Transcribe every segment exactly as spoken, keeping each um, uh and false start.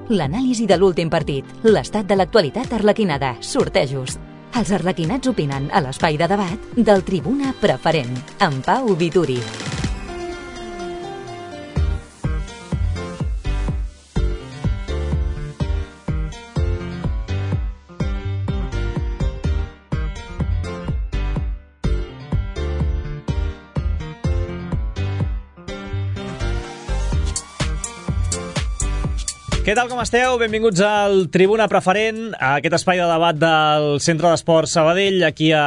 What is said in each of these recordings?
L'anàlisi de l'últim partit, l'estat de l'actualitat arlequinada, sortejos. Els arlequinats opinen a l'espai de debat del Tribuna Preferent, amb Pau Vituri. Què tal, com esteu? Benvinguts al Tribuna Preferent, a aquest espai de debat del Centre d'Esports Sabadell, aquí a,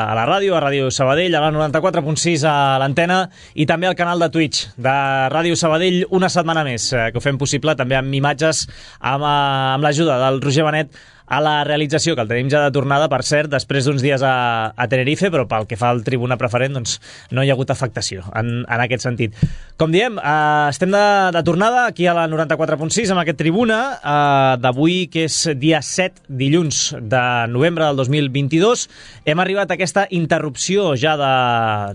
a la ràdio, a Ràdio Sabadell, a la noranta-quatre punt sis a l'antena, i també al canal de Twitch de Ràdio Sabadell, una setmana més, que ho fem possible també amb imatges, amb, amb l'ajuda del Roger Benet a la realització, que el tenim ja de tornada, per cert, després d'uns dies a, a Tenerife, però pel que fa al Tribuna Preferent, doncs no hi ha hagut afectació en, en aquest sentit. Com diem, eh, estem de, de tornada aquí a la noranta-quatre punt sis amb aquest Tribuna eh, d'avui, que és dia set, dilluns de novembre del dos mil vint-i-dos. Hem arribat a aquesta interrupció ja de,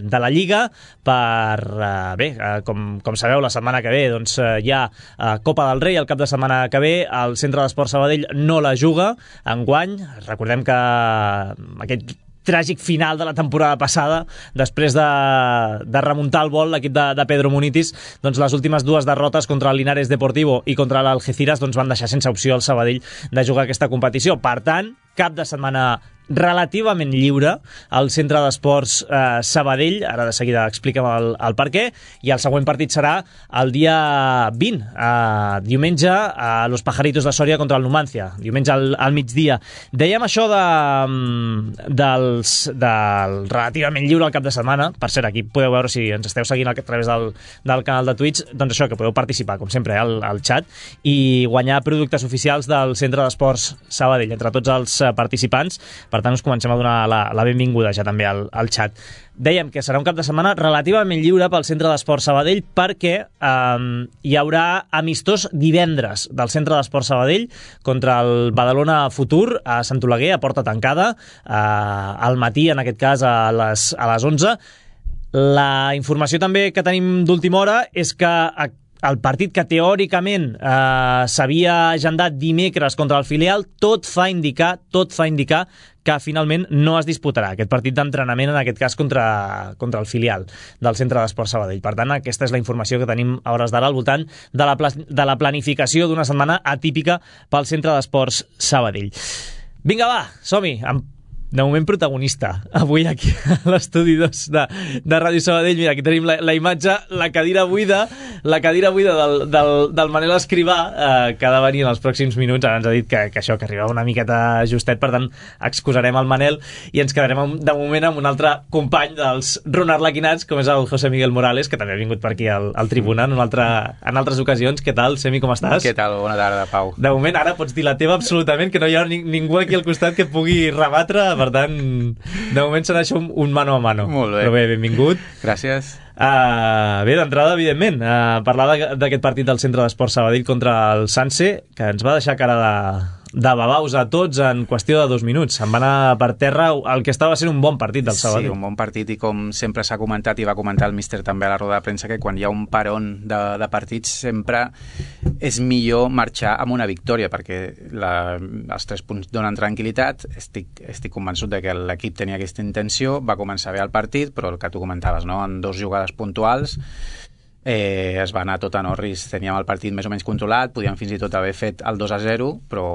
de la Lliga per, eh, bé, eh, com, com sabeu, la setmana que ve doncs, eh, hi ha eh, Copa del Rei, el cap de setmana que ve, el Centre d'Esports Sabadell no la juga enguany. Recordem que aquest tràgic final de la temporada passada, després de, de remuntar el vol l'equip de, de Pedro Munitis, doncs les últimes dues derrotes contra el Linares Deportivo i contra l'Algeciras doncs van deixar sense opció al Sabadell de jugar aquesta competició. Per tant, cap de setmana relativament lliure al Centre d'Esports eh, Sabadell. Ara de seguida expliquem el, el per què. I el següent partit serà el dia vint, eh, diumenge, a Los Pajaritos de Sòria contra el Numancia, diumenge al, al migdia. Dèiem això de, dels, del relativament lliure al cap de setmana. Per cert, aquí podeu veure, si ens esteu seguint a través del, del canal de Twitch, doncs això, que podeu participar, com sempre, al, al xat i guanyar productes oficials del Centre d'Esports Sabadell entre tots els participants. Per tant, us comencem a donar la, la benvinguda ja també al, al xat. Dèiem que serà un cap de setmana relativament lliure pel Centre d'Esports Sabadell perquè eh, hi haurà amistós divendres del Centre d'Esports Sabadell contra el Badalona Futur a Sant Oleguer, a porta tancada, eh, al matí, en aquest cas a les, a les onze. La informació també que tenim d'última hora és que a el partit que teòricament eh, s'havia agendat dimecres contra el filial, tot fa indicar, tot fa indicar que finalment no es disputarà aquest partit d'entrenament, en aquest cas contra, contra el filial del Centre d'Esports Sabadell. Per tant, aquesta és la informació que tenim a hores d'ara al voltant de la, de la planificació d'una setmana atípica pel Centre d'Esports Sabadell. Vinga, va, som-hi, amb de moment protagonista avui aquí a l'estudi dos de, de Ràdio Sabadell. Mira, aquí tenim la, la imatge, la cadira buida la cadira buida del, del, del Manel Escrivà, eh, que ha de venir en els pròxims minuts. Ara ens ha dit que, que això, que arribava una miqueta justet, per tant excusarem el Manel i ens quedarem de moment amb un altre company dels Ron Arlequinats, com és el José Miguel Morales, que també ha vingut per aquí al, al Tribuna en, un altre, en altres ocasions. Què tal, Semi, com estàs? Què tal? Bona tarda, Pau. De moment ara pots dir la teva absolutament, que no hi ha ni, ningú aquí al costat que pugui rebatre. Per tant, de moment serà això un, un mano a mano. Molt bé. Però bé, benvingut. Gràcies. Uh, bé, d'entrada, evidentment, uh, parlar d'aquest partit del Centre d'Esports Sabadell contra el Sanse, que ens va deixar cara de, de babaus a tots en qüestió de dos minuts. Se'n va anar per terra el que estava sent un bon partit del Sabadell. Sí, un bon partit, i com sempre s'ha comentat i va comentar el míster també a la roda de premsa, que quan hi ha un parón de, de partits sempre és millor marxar amb una victòria, perquè la, els tres punts donen tranquil·litat. Estic, estic convençut de que l'equip tenia aquesta intenció, va començar bé el partit, però el que tu comentaves, no? En dos jugades puntuals eh, es va anar tot a Norris. Teníem el partit més o menys controlat, podíem fins i tot haver fet el dos a zero, però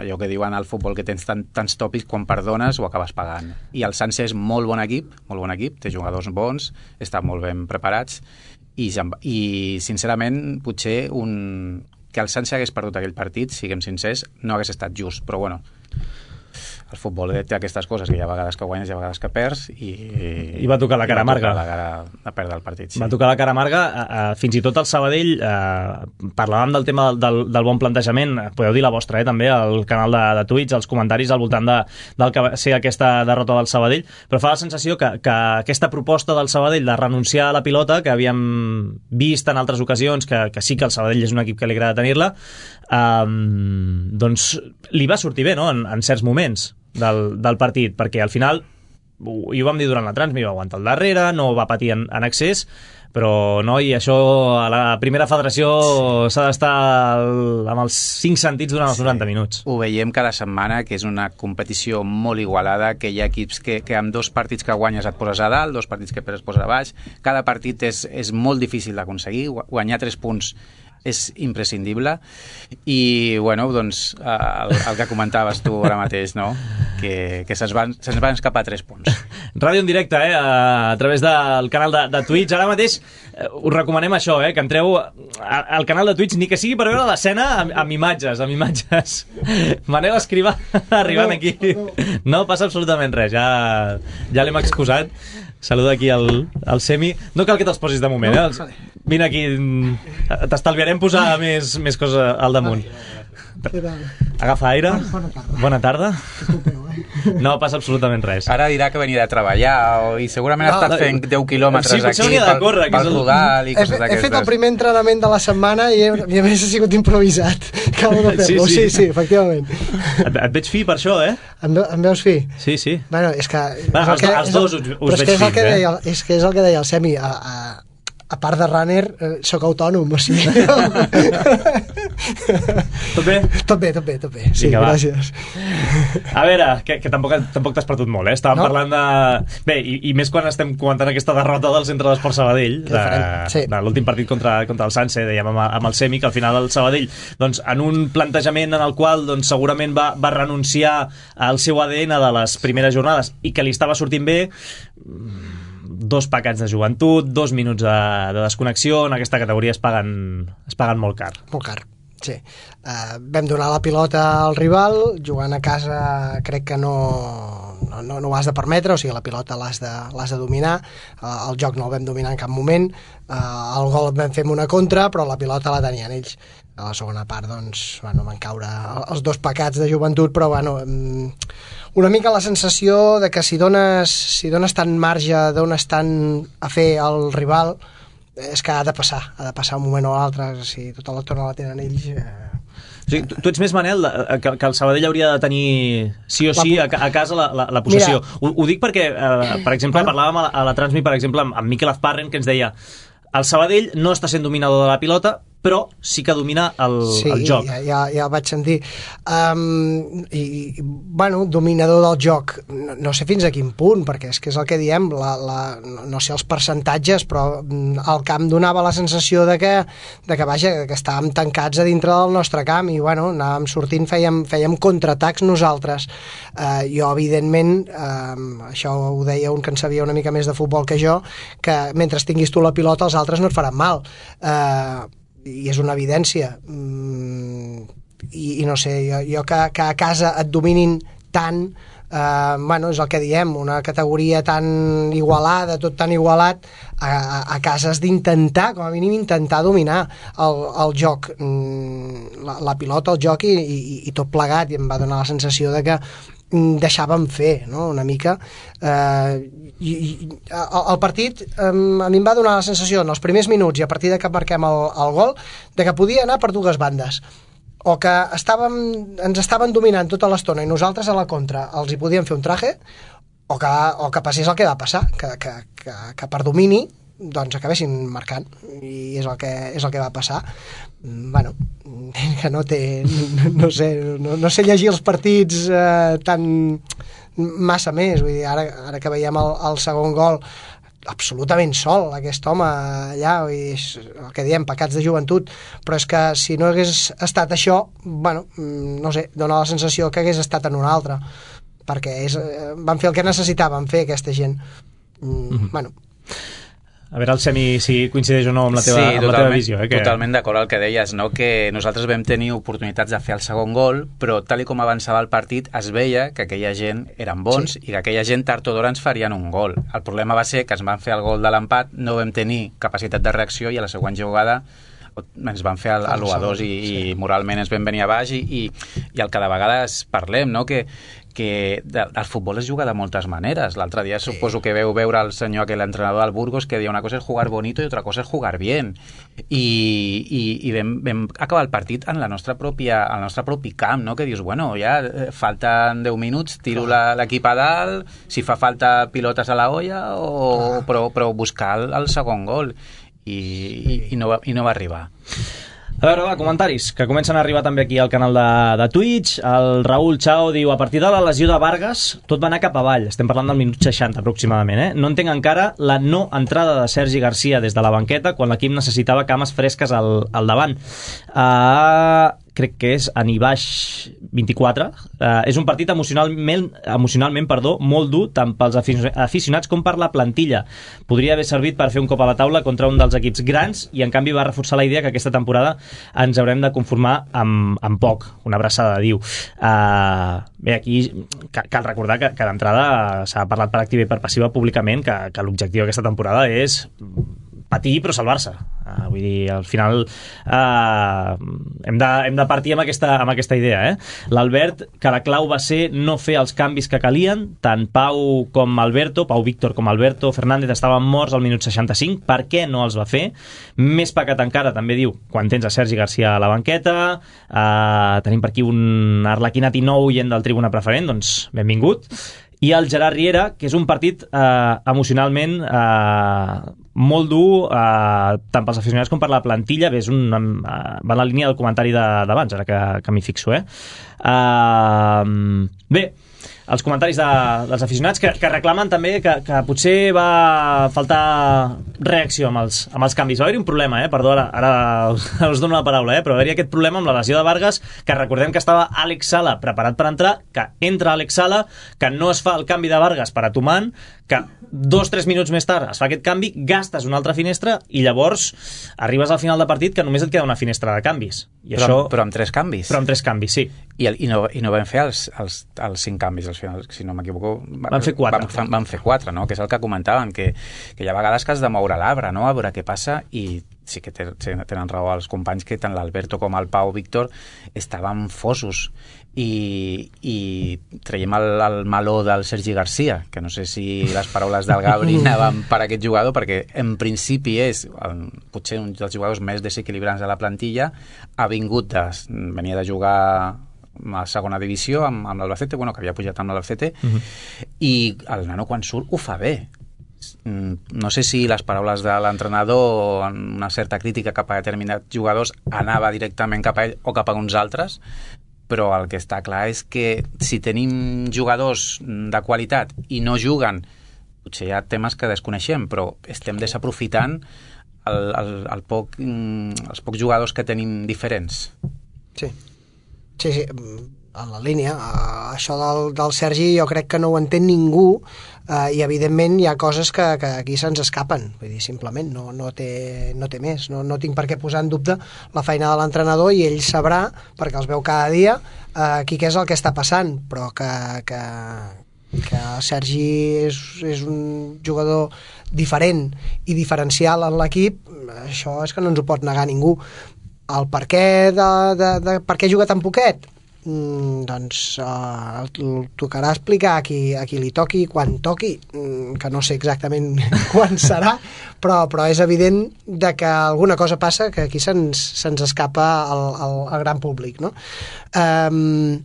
allò que diuen al futbol, que tens tant, tants tòpics, quan perdones ho acabes pagant. I el Sanse és molt bon equip, molt bon equip, té jugadors bons, estan molt ben preparats, i, i sincerament potser un, que el Sanse hagués perdut aquell partit, siguem sincers, no hagués estat just, però bueno, el futbol té aquestes coses, que hi ha vegades que guanyes i hi ha vegades que perds, i, I va tocar la cara amarga. Va tocar la cara de perdre el partit, sí. Va tocar la cara amarga. Uh, fins i tot el Sabadell, uh, parlàvem del tema del, del, del bon plantejament, podeu dir la vostra, eh, també, al canal de, de Twitch, els comentaris al voltant de, del que va ser aquesta derrota del Sabadell, però fa la sensació que, que aquesta proposta del Sabadell de renunciar a la pilota, que havíem vist en altres ocasions, que, que sí que el Sabadell és un equip que li agrada tenir-la, um, doncs li va sortir bé, no?, en, en certs moments del, del partit, perquè al final, i ho vam dir durant la transmi, va aguantar el darrere, no va patir en, en excés, però no, i això a la primera federació sí. s'ha d'estar amb els cinc sentits durant els sí. noranta minuts. Ho veiem cada setmana, que és una competició molt igualada, que hi ha equips que, que amb dos partits que guanyes et poses a dalt, dos partits que perds et poses a baix, cada partit és, és molt difícil d'aconseguir, guanyar tres punts és imprescindible i, bueno, doncs el, el que comentaves tu ara mateix, no? Que, que se'ns van, se'ns van escapar tres punts. Ràdio en directe, eh? A, a través del canal de, de Twitch. Ara mateix eh, us recomanem això, eh? Que entreu al canal de Twitch, ni que sigui per veure l'escena amb, amb imatges, amb imatges. Manel Escrivà arribant aquí. No passa absolutament res, ja, ja l'hem excusat. Saluda aquí el, el Semi. No cal que te'ls posis de moment, eh? Els, vine aquí, t'estalviarem posar més, més coses al damunt. Agafa aire. Bona tarda. Bona tarda. No passa absolutament res. Ara dirà que venia de treballar o, i segurament no, ha estat fent deu quilòmetres sí, aquí pel, córrer, pel Rodal i coses d'aquestes. He fet el primer entrenament de la setmana i, he, i a més ha sigut improvisat. Acabo de fer-lo. Sí, sí, sí, efectivament. Et, et veig fi per això, eh? Em, em veus fi? Sí, sí. Bueno, és que... Va, els, que, els dos us, us veig fi, eh? Deia, és que és el que deia el Semi, a, a, a part de runner, eh, soc autònom, o sigui... Tot bé? Tot bé, tot bé, tot bé. Sí, vinga, gràcies. A veure, que, que tampoc, tampoc t'has perdut molt, eh? Estàvem no? parlant de... Bé, i, i més quan estem comentant aquesta derrota del Centre d'Esport Sabadell, de, sí. de l'últim partit contra, contra el Sanse, dèiem amb, amb el Semi, que al final el Sabadell, doncs, en un plantejament en el qual doncs, segurament va, va renunciar al seu A D N de les primeres jornades i que li estava sortint bé, dos pecats de joventut, dos minuts de, de desconnexió, en aquesta categoria es paguen, es paguen molt car. Molt car. Sí. Uh, vam donar la pilota al rival, jugant a casa crec que no, no, no, no ho has de permetre, o sigui, la pilota l'has de, l'has de dominar, uh, el joc no el vam dominar en cap moment, uh, el gol vam fer una contra, però la pilota la tenien ells. A la segona part, doncs, bueno, van caure els dos pecats de joventut, però, bueno, una mica la sensació de que si dones, si dones tant marge d'on estan a fer el rival, és que ha de passar, ha de passar un moment o l'altre, si tota l'estona la tenen ells... Eh... O sigui, tu, tu ets més, Manel, que, que el Sabadell hauria de tenir sí o sí a, a casa la, la, la possessió. Ho, ho dic perquè, eh, per exemple, bueno. parlàvem a, a la Transmi, per exemple, amb, amb Miquel Azparren, que ens deia el Sabadell no està sent dominador de la pilota, però sí que domina el, sí, el joc. Sí, ja, ja el vaig sentir. Um, i, bueno, dominador del joc, no, no sé fins a quin punt, perquè és que és el que diem, la, la, no sé els percentatges, però el camp donava la sensació de que, de que, vaja, que estàvem tancats a dintre del nostre camp i, bueno, anàvem sortint, fèiem, fèiem contraatacs nosaltres. Uh, jo, evidentment, uh, això ho deia un que en sabia una mica més de futbol que jo, que mentre tinguis tu la pilota els altres no et faran mal. Uh, i és una evidència mm, i, i no sé, jo, jo que, que a casa et dominin tant, eh, bueno, és el que diem, una categoria tan igualada, tot tan igualat, a, a, a casa has d'intentar, com a mínim intentar dominar el, el joc, mm, la, la pilota, el joc i, i, i tot plegat, i em va donar la sensació de que deixàvem fer, no?, una mica. Eh, i, i, el partit eh, a mi em va donar la sensació en els primers minuts i a partir de que marquem el, el gol de que podia anar per dues bandes, o que estàvem, ens estaven dominant tota l'estona i nosaltres a la contra els hi podíem fer un traje, o que, o que passés el que va passar, que, que, que, que per domini doncs acabessin marcant, i és el que, és el que va passar. Bueno, que no té no sé, no, no sé llegir els partits eh, tan massa més, vull dir, ara, ara que veiem el, el segon gol absolutament sol, aquest home allà, i és el que diem, pecats de joventut, però és que si no hagués estat això, bueno, no sé, dona la sensació que hagués estat en una altra, perquè és, van fer el que necessitaven fer aquesta gent. Mm, bueno. A veure el Semi si coincideix o no amb la teva, sí, amb la teva visió. Eh, que... totalment d'acord al que deies, no? Que nosaltres vam tenir oportunitats de fer el segon gol, però tal i com avançava el partit es veia que aquella gent eren bons, sí, i que aquella gent tard o d'hora ens farien un gol. El problema va ser que ens van fer el gol de l'empat, no vam tenir capacitat de reacció i a la següent jugada ens van fer l'u a dos i, sí, i moralment ens vam venir a baix i, i, i el que de vegades parlem, no? que que el futbol es juga de moltes maneres. L'altre dia sí, suposo que veu veure el senyor, aquell entrenador del Burgos, que deia una cosa és jugar bonito i otra cosa és jugar bien. I, i, i vam, vam acabar el partit en la nostra pròpia, el nostre propi camp, no? Que dius, bueno, ja falten deu minuts, tiro l'equip a dalt, si fa falta pilotes a la olla, o, però, però buscar el, el segon gol. i, i, i, no, va, i no va arribar. A veure, va, comentaris, que comencen a arribar també aquí al canal de, de Twitch. El Raül Chao diu: a partir de la lesió de Vargas, tot va anar cap avall. Estem parlant del minut seixanta, aproximadament, eh? No entenc encara la no entrada de Sergi Garcia des de la banqueta quan l'equip necessitava cames fresques al, al davant. Uh, crec que és Anibaix vint-i-quatre. Uh, és un partit emocionalment, emocionalment perdó, molt dur, tant pels aficionats com per la plantilla. Podria haver servit per fer un cop a la taula contra un dels equips grans i en canvi va reforçar la idea que aquesta temporada ens haurem de conformar amb, amb poc. Una abraçada, diu. Uh, bé, aquí cal recordar que, que d'entrada s'ha parlat per activa i per passiva públicament que, que l'objectiu d'aquesta temporada és patir però salvar-se. Uh, vull dir, al final uh, hem, de, hem de partir amb aquesta, amb aquesta idea. Eh? L'Albert, que la clau va ser no fer els canvis que calien, tant Pau com Alberto, Pau Víctor com Alberto Fernández estaven morts al minut seixanta-cinc. Per què no els va fer? Més pecat encara, també diu, quan tens a Sergi Garcia a la banqueta. Uh, tenim per aquí un arlequinat i nou gent del Tribuna Preferent, doncs benvingut. I el Gerard Riera, que és un partit eh, emocionalment eh, molt dur, eh, tant pels aficionats com per la plantilla. Bé, és un, eh, va en la línia del comentari d'abans, ara que, que m'hi fixo. Eh? Eh, bé, els comentaris de, dels aficionats que, que reclamen també que, que potser va faltar reacció amb els, amb els canvis. Va haver-hi un problema, eh? Perdó, ara, ara us dono la paraula, eh? Però va haver-hi aquest problema amb la lesió de Vargas, que recordem que estava Àlex Sala preparat per entrar, que entra Àlex Sala, que no es fa el canvi de Vargas per a Tuman, que dos o tres minuts més tard es fa aquest canvi, gastes una altra finestra i llavors arribes al final del partit que només et queda una finestra de canvis. I però, això, però amb tres canvis. Però amb tres canvis, sí. I, el, i, no, i no vam fer els, els, els cinc canvis al final, si no m'equivoco. Van fer quatre. Van, van fer quatre, no? Que és el que comentaven, que, que hi ha vegades que has de moure l'arbre, no? A veure què passa, i sí que tenen raó els companys que tant l'Alberto com el Pau Víctor estaven fosos. I, i traiem el, el meló del Sergi Garcia, que no sé si les paraules del Gabri anaven per aquest jugador, perquè en principi és el, potser un dels jugadors més desequilibrants de la plantilla. Ha vingut de, venia de jugar a segona divisió amb, amb l'Albacete, bueno, que havia pujat amb l'Albacete, uh-huh. I el nano quan surt ho fa bé. No sé si les paraules de l'entrenador, una certa crítica cap a determinats jugadors, anava directament cap a ell o cap a uns altres, però el que està clar és que si tenim jugadors de qualitat i no juguen, potser hi ha temes que desconeixem, però estem desaprofitant el, el, el poc, els pocs jugadors que tenim diferents. Sí, sí, sí. En la línia, això del, del Sergi jo crec que no ho entén ningú, eh, i evidentment hi ha coses que, que aquí se'ns escapen, vull dir, simplement no, no, té, no té més, no, no tinc per què posar en dubte la feina de l'entrenador, i ell sabrà, perquè els veu cada dia, eh, aquí què és el que està passant, però que, que, que el Sergi és, és un jugador diferent i diferencial en l'equip, això és que no ens ho pot negar ningú. El per què de, de, de per què juga tan poquet? Mm, doncs uh, tocarà explicar a qui, a qui li toqui, quan toqui, mm, que no sé exactament quan serà, però, però és evident de que alguna cosa passa que aquí se'ns se'ns escapa al, al, al gran públic, no? Um,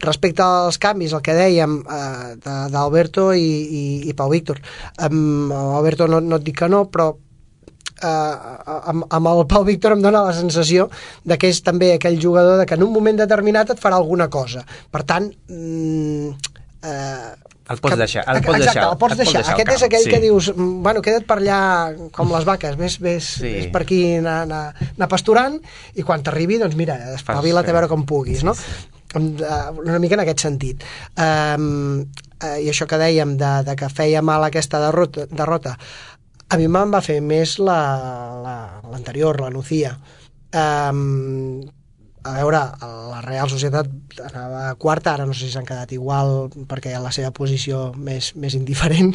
respecte als canvis, el que dèiem uh, d'Alberto i, i, i Pau Víctor, um, Alberto no, no et dic que no, però Uh, amb, amb el Pau Víctor em dóna la sensació de que és també aquell jugador de que en un moment determinat et farà alguna cosa, per tant mm, uh, el pots que, deixar, el pots exacte, deixar, el pots deixar. deixar aquest camp, és aquell sí. Que dius, bueno, queda't per allà com les vaques, ves, ves, sí. ves per aquí anar, anar, anar pasturant, i quan t'arribi, doncs mira, espavila't a veure com puguis, no? Una mica en aquest sentit. Um, uh, i això que dèiem de, de que feia mal aquesta derrota, derrota a mi me'n va fer més l'anterior, la, la, la Nucía. Um, a veure, la Real Societat anava quarta, ara no sé si s'han quedat igual perquè la seva posició més, més indiferent,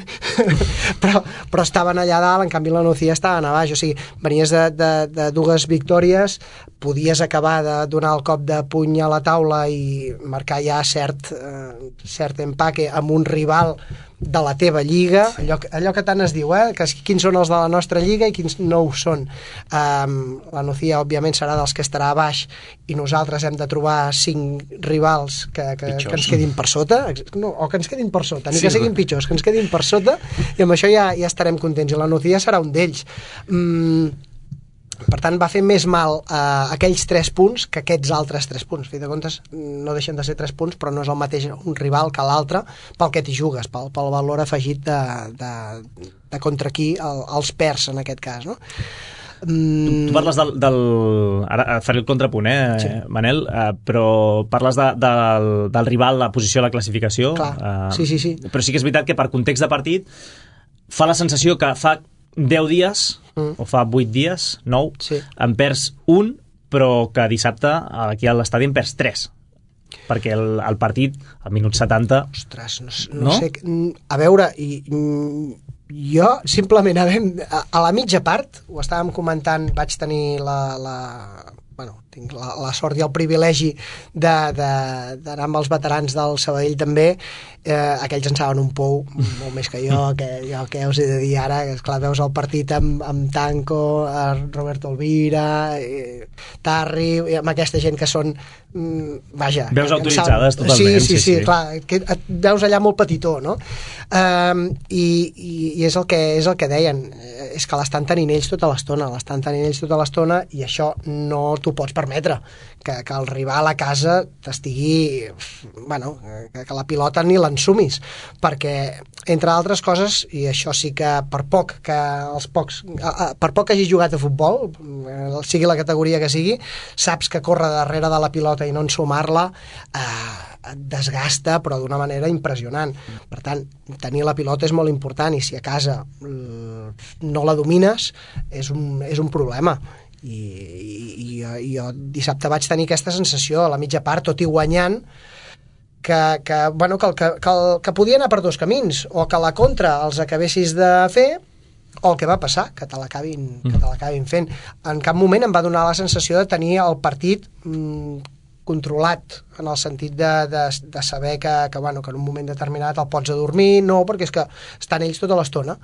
però, però estaven allà dalt, en canvi la Nucía estaven a baix, o sigui, venies de, de, de dues victòries, podies acabar de donar el cop de puny a la taula i marcar ja cert, eh, cert empaque amb un rival de la teva lliga, allò, allò que tant es diu, eh? Que quins són els de la nostra lliga i quins no ho són. Um, la Nucía, òbviament, serà dels que estarà a baix i nosaltres hem de trobar cinc rivals que, que, que ens quedin per sota, no, o que ens quedin per sota, ni sí, que siguin pitjors, que ens quedin per sota, i amb això ja, ja estarem contents, i la Nucía serà un d'ells. Mm, per tant, va fer més mal a uh, aquells tres punts que aquests altres tres punts. A fi de comptes, no deixen de ser tres punts, però no és el mateix un rival que l'altre pel que t'hi jugues, pel, pel valor afegit de, de, de contra qui el, els perds, en aquest cas, no? Mm. Tu, tu parles del, del... Ara faré el contrapunt, eh, sí. Manel, uh, però parles de, del, del rival, la posició a la classificació. Clar, uh, sí, sí, sí. Però sí que és veritat que per context de partit fa la sensació que fa deu dies, mm. o fa vuit dies, nou, sí. en perds un, però que dissabte aquí a l'estadi en perds tres. Perquè el, el partit, al minut setanta... Ostres, no, no, no? sé... A veure, i, jo simplement, a, a, a la mitja part, ho estàvem comentant, vaig tenir la... la bueno, tinc la, la sort i el privilegi d'anar amb els veterans del Sabadell també, eh, aquells en saben un pou molt més que jo, que jo què us he de dir ara, que esclar, veus el partit amb, amb Tanco, Roberto Elvira, eh, Tarri, amb aquesta gent que són mm, vaja... Veus autoritzades totalment. Sí, sí, sí, sí, sí, clar, que et veus allà molt petitó, no? Um, i, i, i és el que és el que deien, és que l'estan tenint ells tota l'estona, l'estan tenint ells tota l'estona, i això no t'ho pots permetre, que, que el rival a casa t'estigui, bueno, que, que la pilota ni l'ensumis, perquè entre altres coses, i això sí que per poc que els pocs, per poc que hagis jugat a futbol, sigui la categoria que sigui, saps que córrer darrere de la pilota i no ensumar-la eh, et desgasta, però d'una manera impressionant. Per tant, tenir la pilota és molt important, i si a casa no la domines és un, és un problema. I, i, i jo dissabte vaig tenir aquesta sensació a la mitja part, tot i guanyant, que, que, bueno, que, el, que, que, el, que podia anar per dos camins, o que la contra els acabessis de fer, o el que va passar, que te l'acabin mm. que te l'acabin fent. En cap moment em va donar la sensació de tenir el partit mm, controlat, en el sentit de, de, de saber que, que, bueno, que en un moment determinat el pots adormir, no, perquè és que estan ells tota l'estona.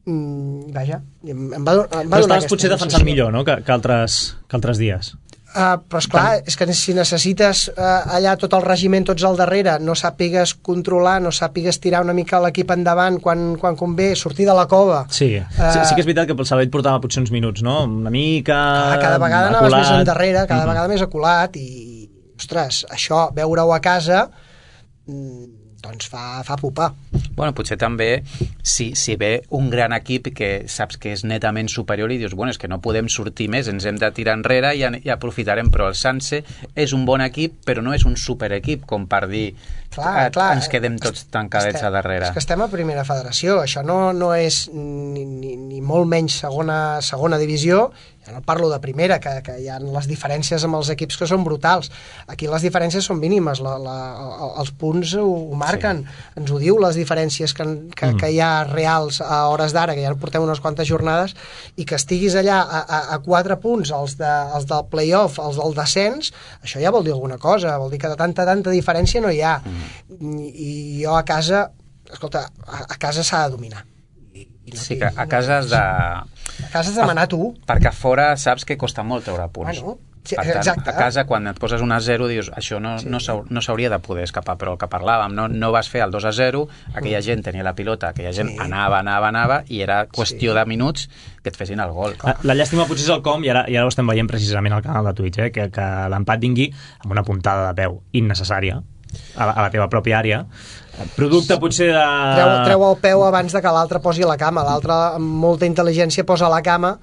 Mm, vaja, em, em va, em va però estaves potser defensant millor, no?, que, que, altres, que altres dies. Uh, però esclar, és que si necessites uh, allà tot el regiment, tots al darrere, no sàpigues controlar, no sàpigues tirar una mica l'equip endavant quan, quan convé, sortir de la cova. Sí, uh, sí, sí que és veritat que pel Sabadell portava potser uns minuts, no? Una mica... Cada, cada vegada aculat. Anaves més endarrere, cada mm-hmm. vegada més aculat, i, ostres, això, veure-ho a casa... Mm, doncs fa, fa pupar. Bueno, potser també, si, si ve un gran equip que saps que és netament superior i dius, bueno, és que no podem sortir més, ens hem de tirar enrere i, i aprofitarem, però el Sanse és un bon equip, però no és un superequip, com per dir, clar, clar, ens quedem tots tancadets estem, a darrere. És que estem a primera federació, això no, no és ni, ni, ni molt menys segona, segona divisió, ja no parlo de primera, que, que hi ha les diferències amb els equips que són brutals. Aquí les diferències són mínimes, la, la, els punts ho, ho marquen, sí. Ens ho diu, les diferències que, que, mm. que hi ha reals a hores d'ara, que ja portem unes quantes jornades, i que estiguis allà a, a, a quatre punts, els, de, els del play-off, els del descens, això ja vol dir alguna cosa, vol dir que de tanta, tanta diferència no hi ha. Mm. I, i jo a casa, escolta, a, a casa s'ha de dominar. No, sí, que a casa has de... A casa has de manar tu. Perquè a fora saps que costa molt treure punts. Bueno, sí, per tant, exacte. A casa, quan et poses un a zero, dius, això no, sí. no s'hauria de poder escapar, però el que parlàvem, no, no vas fer el dos a zero, aquella mm. gent tenia la pilota, aquella gent sí. anava, anava, anava, i era qüestió sí. de minuts que et fessin el gol. La, la llàstima potser és el com, i ara, i ara ho estem veient precisament al canal de Twitch, eh, que, que l'empat vingui amb una puntada de peu innecessària, a la, a la teva pròpia àrea, producte potser de... Treu, treu el peu abans de que l'altre posi la cama, l'altre amb molta intel·ligència posa la cama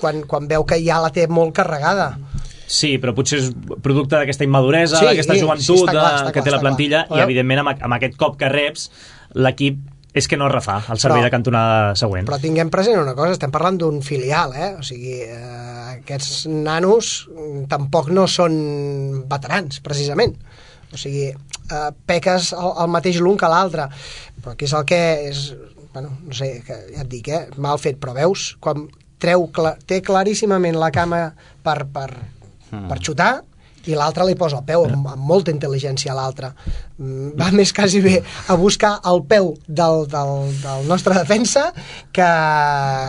quan, quan veu que ja la té molt carregada. Sí, però potser és producte d'aquesta immaduresa, sí, d'aquesta joventut sí, clar, de, que té la plantilla, clar. I evidentment amb, amb aquest cop que reps l'equip és que no refà el servei però, de cantonada següent. Però tinguem present una cosa, estem parlant d'un filial, eh? O sigui, eh, aquests nanos tampoc no són veterans, precisament. O sigui, eh, peques el, el mateix l'un que l'altre, però aquí és el que és, bueno, no sé, que ja et dic, eh, mal fet, però veus, quan treu, té claríssimament la cama per, per, mm. per xutar, i l'altre li posa el peu amb, amb molta intel·ligència a l'altre. Va més quasi bé a buscar el peu del, del, del nostre defensa que...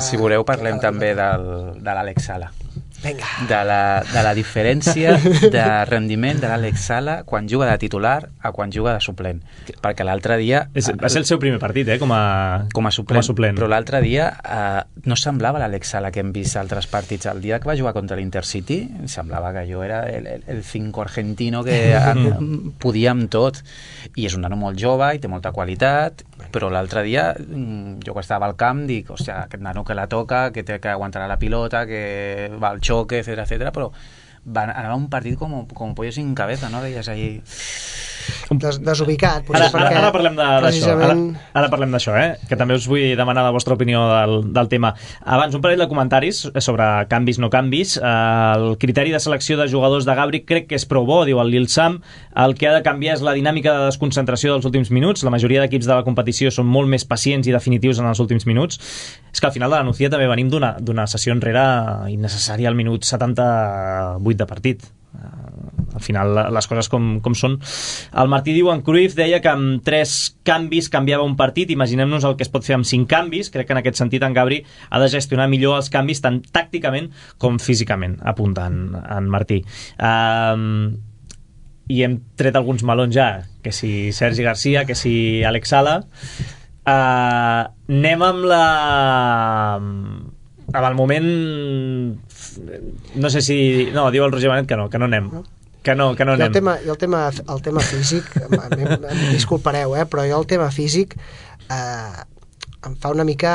Si voleu parlem que... també del, de l'Àlex Sala. Vinga. De la, de la diferència de rendiment de l'Àlex Sala quan juga de titular a quan juga de suplent, perquè l'altre dia és, va ser el seu primer partit, eh, com a, com a, suplent, com a suplent, però l'altre dia eh, no semblava l'Àlex Sala que hem vist altres partits. El dia que va jugar contra l'Intercity semblava que jo era el, el, el cinco argentino que podia amb tot, i és un nano molt jove i té molta qualitat, però l'altre dia jo que estava al camp dic, hòstia, aquest nano que la toca, que té que aguantar la pilota, que va al choque, etcétera, etcétera, però van, anava un partit com, com pollo sin cabeza, no? Veies ahí... Des, desubicat. Ara, ara, ara parlem d'això, precisament... ara, ara parlem d'això, eh? Que també us vull demanar la vostra opinió del, del tema. Abans, un parell de comentaris sobre canvis, no canvis. El criteri de selecció de jugadors de Gabri crec que és prou bo, diu el Lil Sam. El que ha de canviar és la dinàmica de desconcentració dels últims minuts. La majoria d'equips de la competició són molt més pacients i definitius en els últims minuts. És que al final de la Nucía també venim d'una sessió enrere innecessària al minut setanta-vuit de partit. Al final les coses com, com són. El Martí diu, en Cruyff deia que amb tres canvis canviava un partit. Imaginem-nos el que es pot fer amb cinc canvis. Crec que en aquest sentit en Gabri ha de gestionar millor els canvis tant tàcticament com físicament, apunta en, en Martí. Um, i hem tret alguns melons ja, que si Sergi Garcia, que si Àlex Sala. Uh, anem amb la... amb el moment... no sé si... no, diu el Roger Benet que no, que no anem. Que no, que no anem. I el tema, i el tema, el tema físic, em, em disculpareu, eh, però jo el tema físic eh, em fa una mica...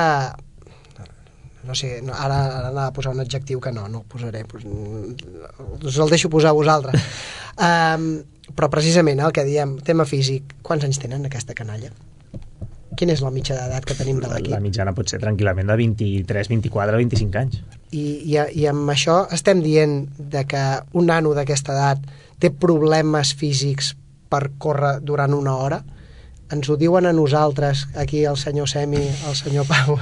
no sé, no, ara, ara anava a posar un adjectiu que no, no el posaré, pues, us el deixo posar a vosaltres. Um, però precisament el que diem, tema físic, quants anys tenen aquesta canalla? Quina és la mitja d'edat que tenim de l'equip? La mitjana pot ser tranquil·lament de vint-i-tres, vint-i-quatre, vint-i-cinc anys. I, i, I amb això estem dient de que un nano d'aquesta edat té problemes físics per córrer durant una hora? Ens ho diuen a nosaltres, aquí el senyor Semi, el senyor Pau,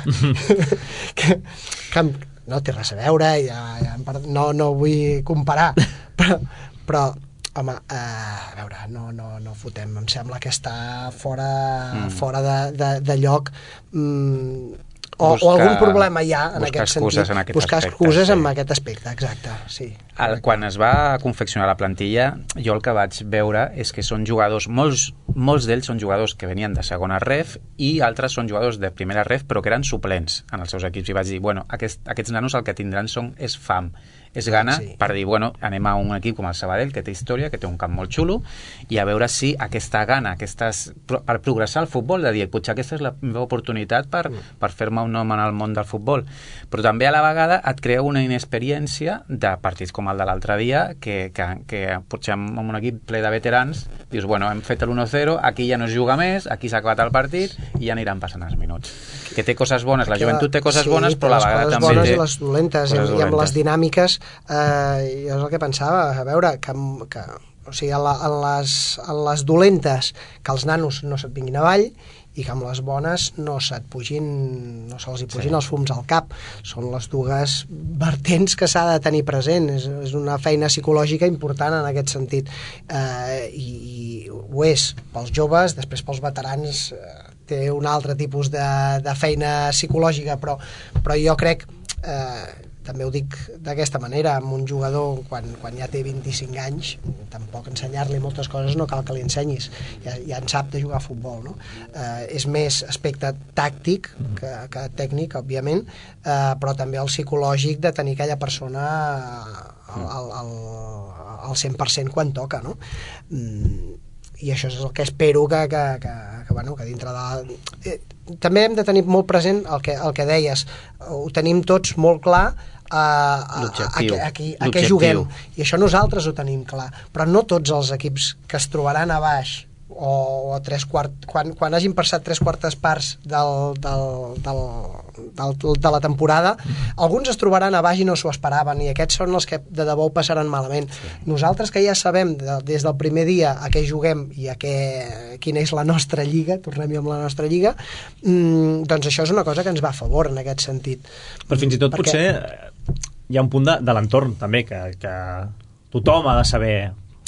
que, que no té res a veure, ja, ja, no, no vull comparar, però, però home, eh, a veure, no, no, no fotem, em sembla que està fora, mm. fora de, de, de lloc, mm, o, buscar, o algun problema hi ha en aquest sentit, en aquest buscar aspecte, excuses sí. en aquest aspecte, exacte, sí. El, quan es va confeccionar la plantilla, jo el que vaig veure és que són jugadors, molts, molts d'ells són jugadors que venien de segona ref i altres són jugadors de primera ref però que eren suplents en els seus equips, i vaig dir, bueno, aquest, aquests nanos el que tindran són, és fam, és gana, sí. per dir, bueno, anem a un equip com el Sabadell, que té història, que té un camp molt xulo, i a veure si aquesta gana, aquestes, per progressar al futbol, de dir, potser aquesta és la meva oportunitat per, mm. per fer-me un nom en el món del futbol. Però també a la vegada et crea una inexperiència de partits com el de l'altre dia, que, que, que potser amb un equip ple de veterans, dius, bueno, hem fet l'u zero, aquí ja no es juga més, aquí s'ha acabat el partit, i ja aniran passant els minuts. Que té coses bones, la joventut té coses sí, bones, però a la vegada també té... les bones i les dolentes, i, i amb les dinàmiques, eh, jo és el que pensava, a veure, que, que o sigui, en, la, en, les, en les dolentes, que els nanos no se't vinguin avall, i que amb les bones no se't pugin, no se'ls hi pugin sí. els fums al cap. Són les dues vertents que s'ha de tenir present. És, és una feina psicològica important en aquest sentit. Eh, i, I ho és pels joves, després pels veterans eh, té un altre tipus de, de feina psicològica, però, però jo crec... Eh, també ho dic d'aquesta manera, amb un jugador quan, quan ja té vint-i-cinc anys, tampoc ensenyar-li moltes coses no cal que li ensenyis, ja, ja en sap de jugar a futbol, no? Eh, és més aspecte tàctic que, que tècnic, òbviament, eh, però també el psicològic de tenir aquella persona al, al, al, al cent per cent quan toca, no? Mm, i això és el que espero que, que, que, que, bueno, que dintre de... Eh, també hem de tenir molt present el que, el que deies, ho tenim tots molt clar a, a, a, a, a, a què juguem, i això nosaltres ho tenim clar, però no tots els equips que es trobaran a baix o, o a tres quart, quan, quan hagin passat tres quartes parts del, del, del, del, de la temporada, alguns es trobaran a baix i no s'ho esperaven, i aquests són els que de debò ho passaran malament. Sí. Nosaltres, que ja sabem de, des del primer dia a què juguem i a què, quina és la nostra lliga, tornem-hi amb la nostra lliga, mmm, doncs això és una cosa que ens va a favor en aquest sentit. Però fins i tot perquè... potser hi ha un punt de, de l'entorn també, que, que tothom ha de saber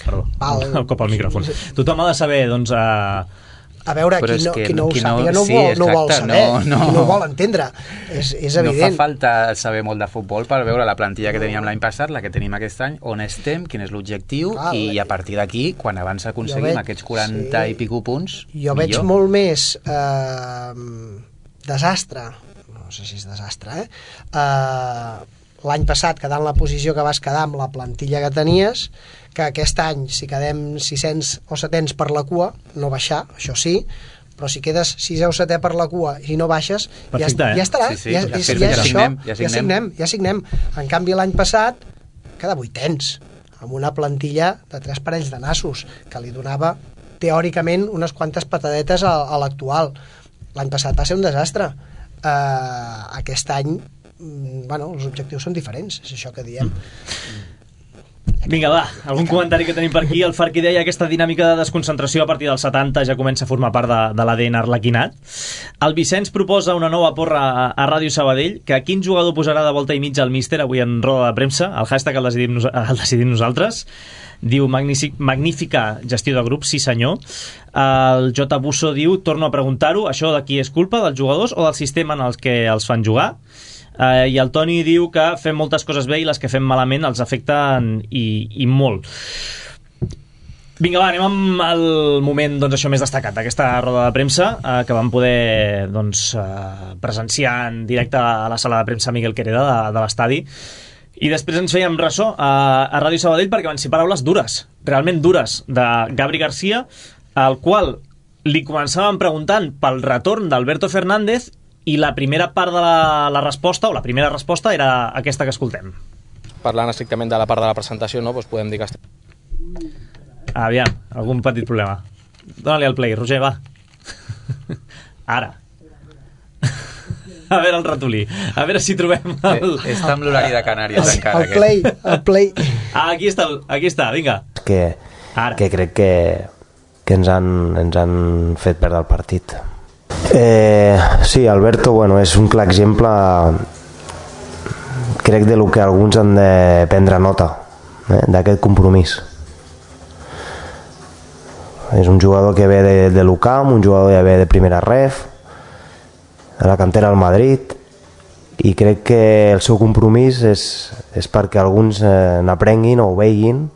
Perdó, Val. el cop al micròfon. Tothom ha de saber, doncs... Eh, a veure, Però qui no, que qui no ho qui no- sàpiga no, sí, vol, no ho vol exacte, saber, no, no. qui no ho vol entendre. És, és No fa evident. falta saber molt de futbol per veure la plantilla que teníem l'any passat, la que tenim aquest any, on estem, quin és l'objectiu, Clar, i a partir d'aquí, quan abans aconseguim veig- aquests quaranta sí. i pico punts, Jo veig millor. molt més eh, desastre, no sé si és desastre, eh? Eh, l'any passat quedar en la posició que vas quedar amb la plantilla que tenies, que aquest any, si quedem sis-cents o setens per la cua, no baixar, això sí, però si quedes sisè o setè per la cua i no baixes, Perfecte, ja, eh? ja estarà, Sí, sí, ja, ja és, firme, ja és ja això, signem, ja ja signem. signem, ja signem. En canvi, l'any passat queda vuitens, amb una plantilla de tres parells de nassos, que li donava teòricament unes quantes patadetes a, a l'actual. L'any passat va ser un desastre. Uh, aquest any, mm, bueno, els objectius són diferents, és això que diem. Vinga, va, algun comentari que tenim per aquí. El Farqui deia aquesta dinàmica de desconcentració a partir dels setanta ja comença a formar part de, de l'A D N arlequinat. El Vicenç proposa una nova porra a, a Ràdio Sabadell, que quin jugador posarà de volta i mitja al míster avui en roda de premsa, el hashtag el decidim, nos el decidim nosaltres. Diu, magnífic, magnífica gestió de grup, sí senyor. El J. Busso diu, torno a preguntar-ho, això de qui és culpa, dels jugadors o del sistema en el que els fan jugar? Uh, i el Toni diu que fem moltes coses bé i les que fem malament els afecten i, i molt. Vinga, va, anem amb el moment, doncs, això més destacat d'aquesta roda de premsa, uh, que vam poder, doncs, uh, presenciar en directe a la sala de premsa Miguel Quereda de, de l'estadi, i després ens fèiem ressò a, a Ràdio Sabadell perquè van ser paraules dures, realment dures, de Gabri García, al qual li començàvem preguntant pel retorn d'Alberto Fernández, i la primera part de la, la resposta, o la primera resposta, era aquesta que escoltem. Parlant estrictament de la part de la presentació, no? Doncs podem dir que estem... Aviam, algun petit problema. Dóna-li al play, Roger, va. Ara. A veure el ratolí. A veure si trobem el... Eh, Està amb l'horari de Canàries El, encara. el play, el play. Ah, aquí està, el- aquí està, vinga. que, Ara. que crec que, que ens, han, ens han fet perdre el partit. Eh, sí, Alberto, bueno, és un clar exemple, crec, de lo que alguns han de prendre nota, eh, d'aquest compromís. És un jugador que ve de, de l'U C A M, un jugador que ve de primera ref, de la cantera del Madrid, i crec que el seu compromís és, és perquè alguns eh, n'aprenguin o ho veguin,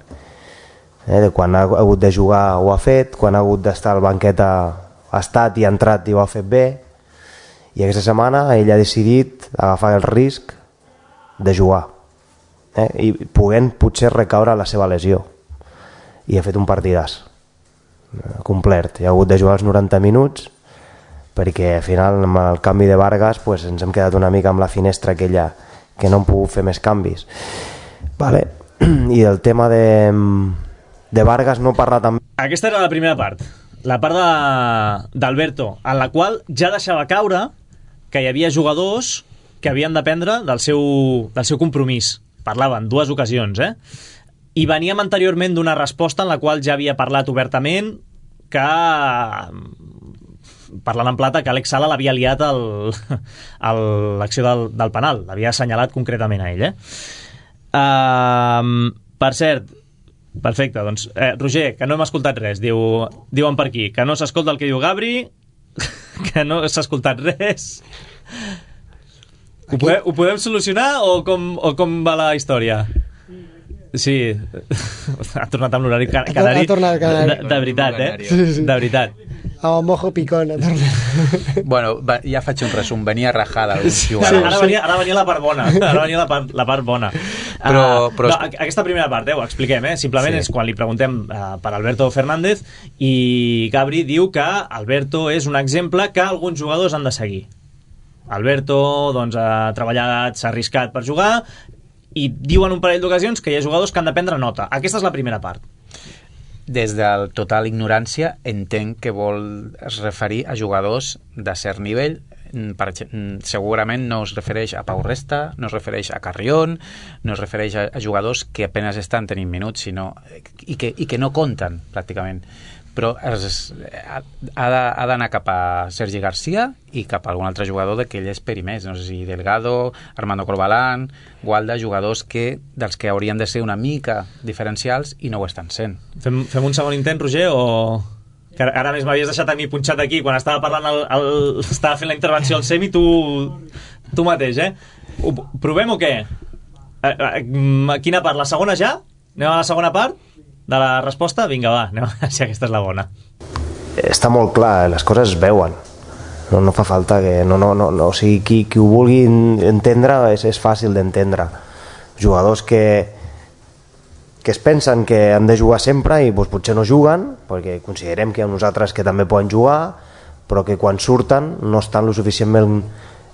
eh, de quan ha hagut de jugar ho ha fet, quan ha hagut d'estar al banquet ha, ha estat i ha entrat i ho ha fet bé, i aquesta setmana ell ha decidit agafar el risc de jugar, eh, i podent potser recaure la seva lesió, i ha fet un partidàs eh, complet. Hi ha hagut de jugar els noranta minuts perquè al final amb el canvi de Vargas pues, ens hem quedat una mica amb la finestra aquella que no hem pogut fer més canvis, vale. I el tema de, de Vargas no parla també. Aquesta era la primera part, la part de- d'Alberto, en la qual ja deixava caure que hi havia jugadors que havien d'aprendre del seu, del seu compromís. Parlava en dues ocasions, eh? I veníem anteriorment d'una resposta en la qual ja havia parlat obertament que, parlant en plata, que Alex Sala l'havia liat el- el- l'acció del, del penal, l'havia assenyalat concretament a ell, eh? Uh, per cert, perfecte, doncs, eh, Roger, que no hem escoltat res, diu, diuen per aquí, que no s'escolta el que diu Gabri, que no s'ha escoltat res. Ho podem, ho podem solucionar o com, o com va la història? Sí, ha tornat amb l'horari ca- canari, Ha tornat canari. de, de veritat, eh? Sí, sí. De veritat. El mojo picón. Bueno, va, ja faig un resum. Venia rajada alguns Sí, jugadors. ara, venia, ara venia la part bona. Ara venia la part, la part bona. Però- Ah, però- no, aquesta primera part, eh, ho expliquem, eh? Simplement Sí. és quan li preguntem uh, per Alberto Fernández i Gabri diu que Alberto és un exemple que alguns jugadors han de seguir. Alberto doncs, ha treballat, s'ha arriscat per jugar i diuen un parell d'ocasions que hi ha jugadors que han de prendre nota. Aquesta és la primera part. Des del total ignorància entenc que vol es referir a jugadors de cert nivell. Per, ex- segurament no es refereix a Pau Resta, no es refereix a Carrión, no es refereix a, a jugadors que apenas estan tenint minuts, sinó, i, que, i que no compten pràcticament. però es, ha, ha d'anar cap a Sergi Garcia i cap a algun altre jugador d'aquell esperi més, no sé si Delgado, Armando Corbalán, Gualda, jugadors que, dels que haurien de ser una mica diferencials i no ho estan sent. Fem, fem un segon intent, Roger, o... Que ara més m'havies deixat a mi punxat aquí quan estava parlant el, el, estava fent la intervenció al Semi, tu, tu mateix, eh? Ho, provem o què? A, a, a quina part? La segona ja? Anem a la segona part de la resposta? Vinga, va, anem a veure si aquesta és la bona. Està molt clar, les coses es veuen. No, no fa falta que... No, no, no, no, o sigui, qui, qui ho vulgui entendre és, és fàcil d'entendre. Jugadors que que es pensen que han de jugar sempre i doncs, potser no juguen, perquè considerem que hi ha uns altres que també poden jugar, però que quan surten no estan lo suficientment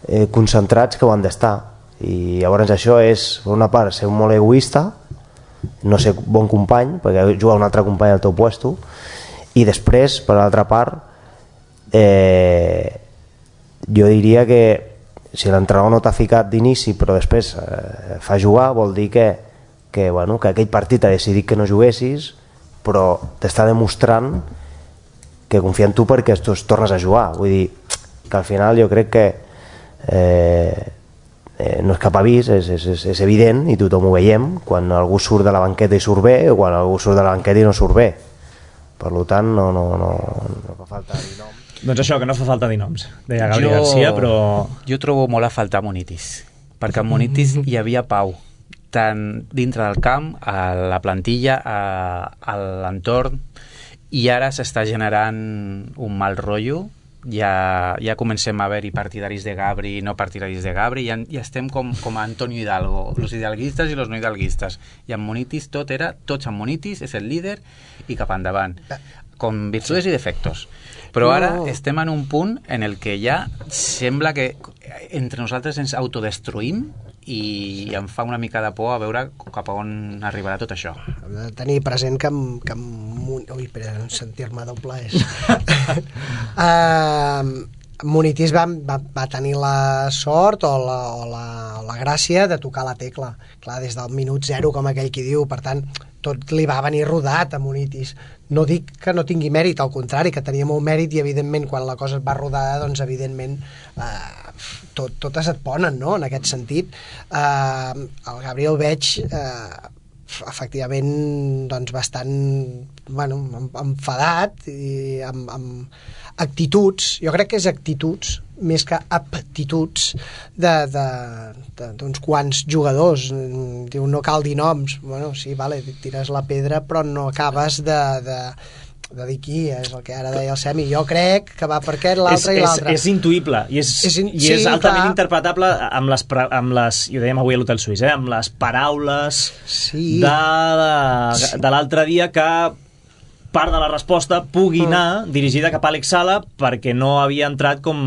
eh, concentrats que ho han d'estar. I llavors això és, per una part, ser molt egoista, no ser bon company, perquè juga un altre company al teu puesto, i després, per l'altra part, eh, jo diria que si l'entrenador no t'ha ficat d'inici però després eh, fa jugar, vol dir que que, bueno, que aquell partit ha decidit que no juguessis, però t'està demostrant que confia en tu perquè tu tornes a jugar. Vull dir que al final jo crec que eh, eh, no és cap avís, és, és, és evident i tothom ho veiem quan algú surt de la banqueta i surt bé o quan algú surt de la banqueta i no surt bé. Per tant no, no, no, no fa falta dir noms. Doncs això, que no fa falta dir noms, deia Gabri jo, Garcia, però... Jo trobo molt a faltar Munitis, perquè en Munitis hi havia pau, tant dintre del camp, a la plantilla, a, a l'entorn, i ara s'està generant un mal rotllo. Ja, ja comencem a haver-hi partidaris de Gabri i no partidaris de Gabri, ja, ja estem com, com a Antonio Hidalgo, los hidalguistes i los no hidalguistes, i en Munitis tot era, tots en Munitis, és el líder i cap endavant, con virtudes i defectos. Però ara no. Estem en un punt en el que ja sembla que entre nosaltres ens autodestruïm i em fa una mica de por a veure cap a on arribarà tot això. Hem de tenir present que... que ui, espera, sentir-me doble és... uh, Munitis va, va, va tenir la sort o la, o, la, o la gràcia de tocar la tecla. Clar, des del minut zero, com aquell qui diu, per tant, tot li va venir rodat a Munitis. No dic que no tingui mèrit, al contrari, que tenia molt mèrit i, evidentment, quan la cosa es va rodar, doncs, evidentment, eh, tot, totes et ponen, no?, en aquest sentit. Eh, el Gabriel veig... Eh, efectivament doncs bastant bueno, enfadat i amb, amb actituds, jo crec que és actituds més que aptituds d'uns quants jugadors. Diu, no cal dir noms, bueno, sí, vale, tires la pedra però no acabes de, de de dir qui, és el que ara deia el Semi. Jo crec que va per aquest, l'altre i l'altre. És, és intuïble i és, és, in... i és sí, altament clar. Interpretable amb les, amb les, i ho dèiem avui a l'Hotel Suís, eh, amb les paraules sí. de, de, de l'altre dia, que part de la resposta pugui mm. anar dirigida cap a Àlex Sala perquè no havia entrat com...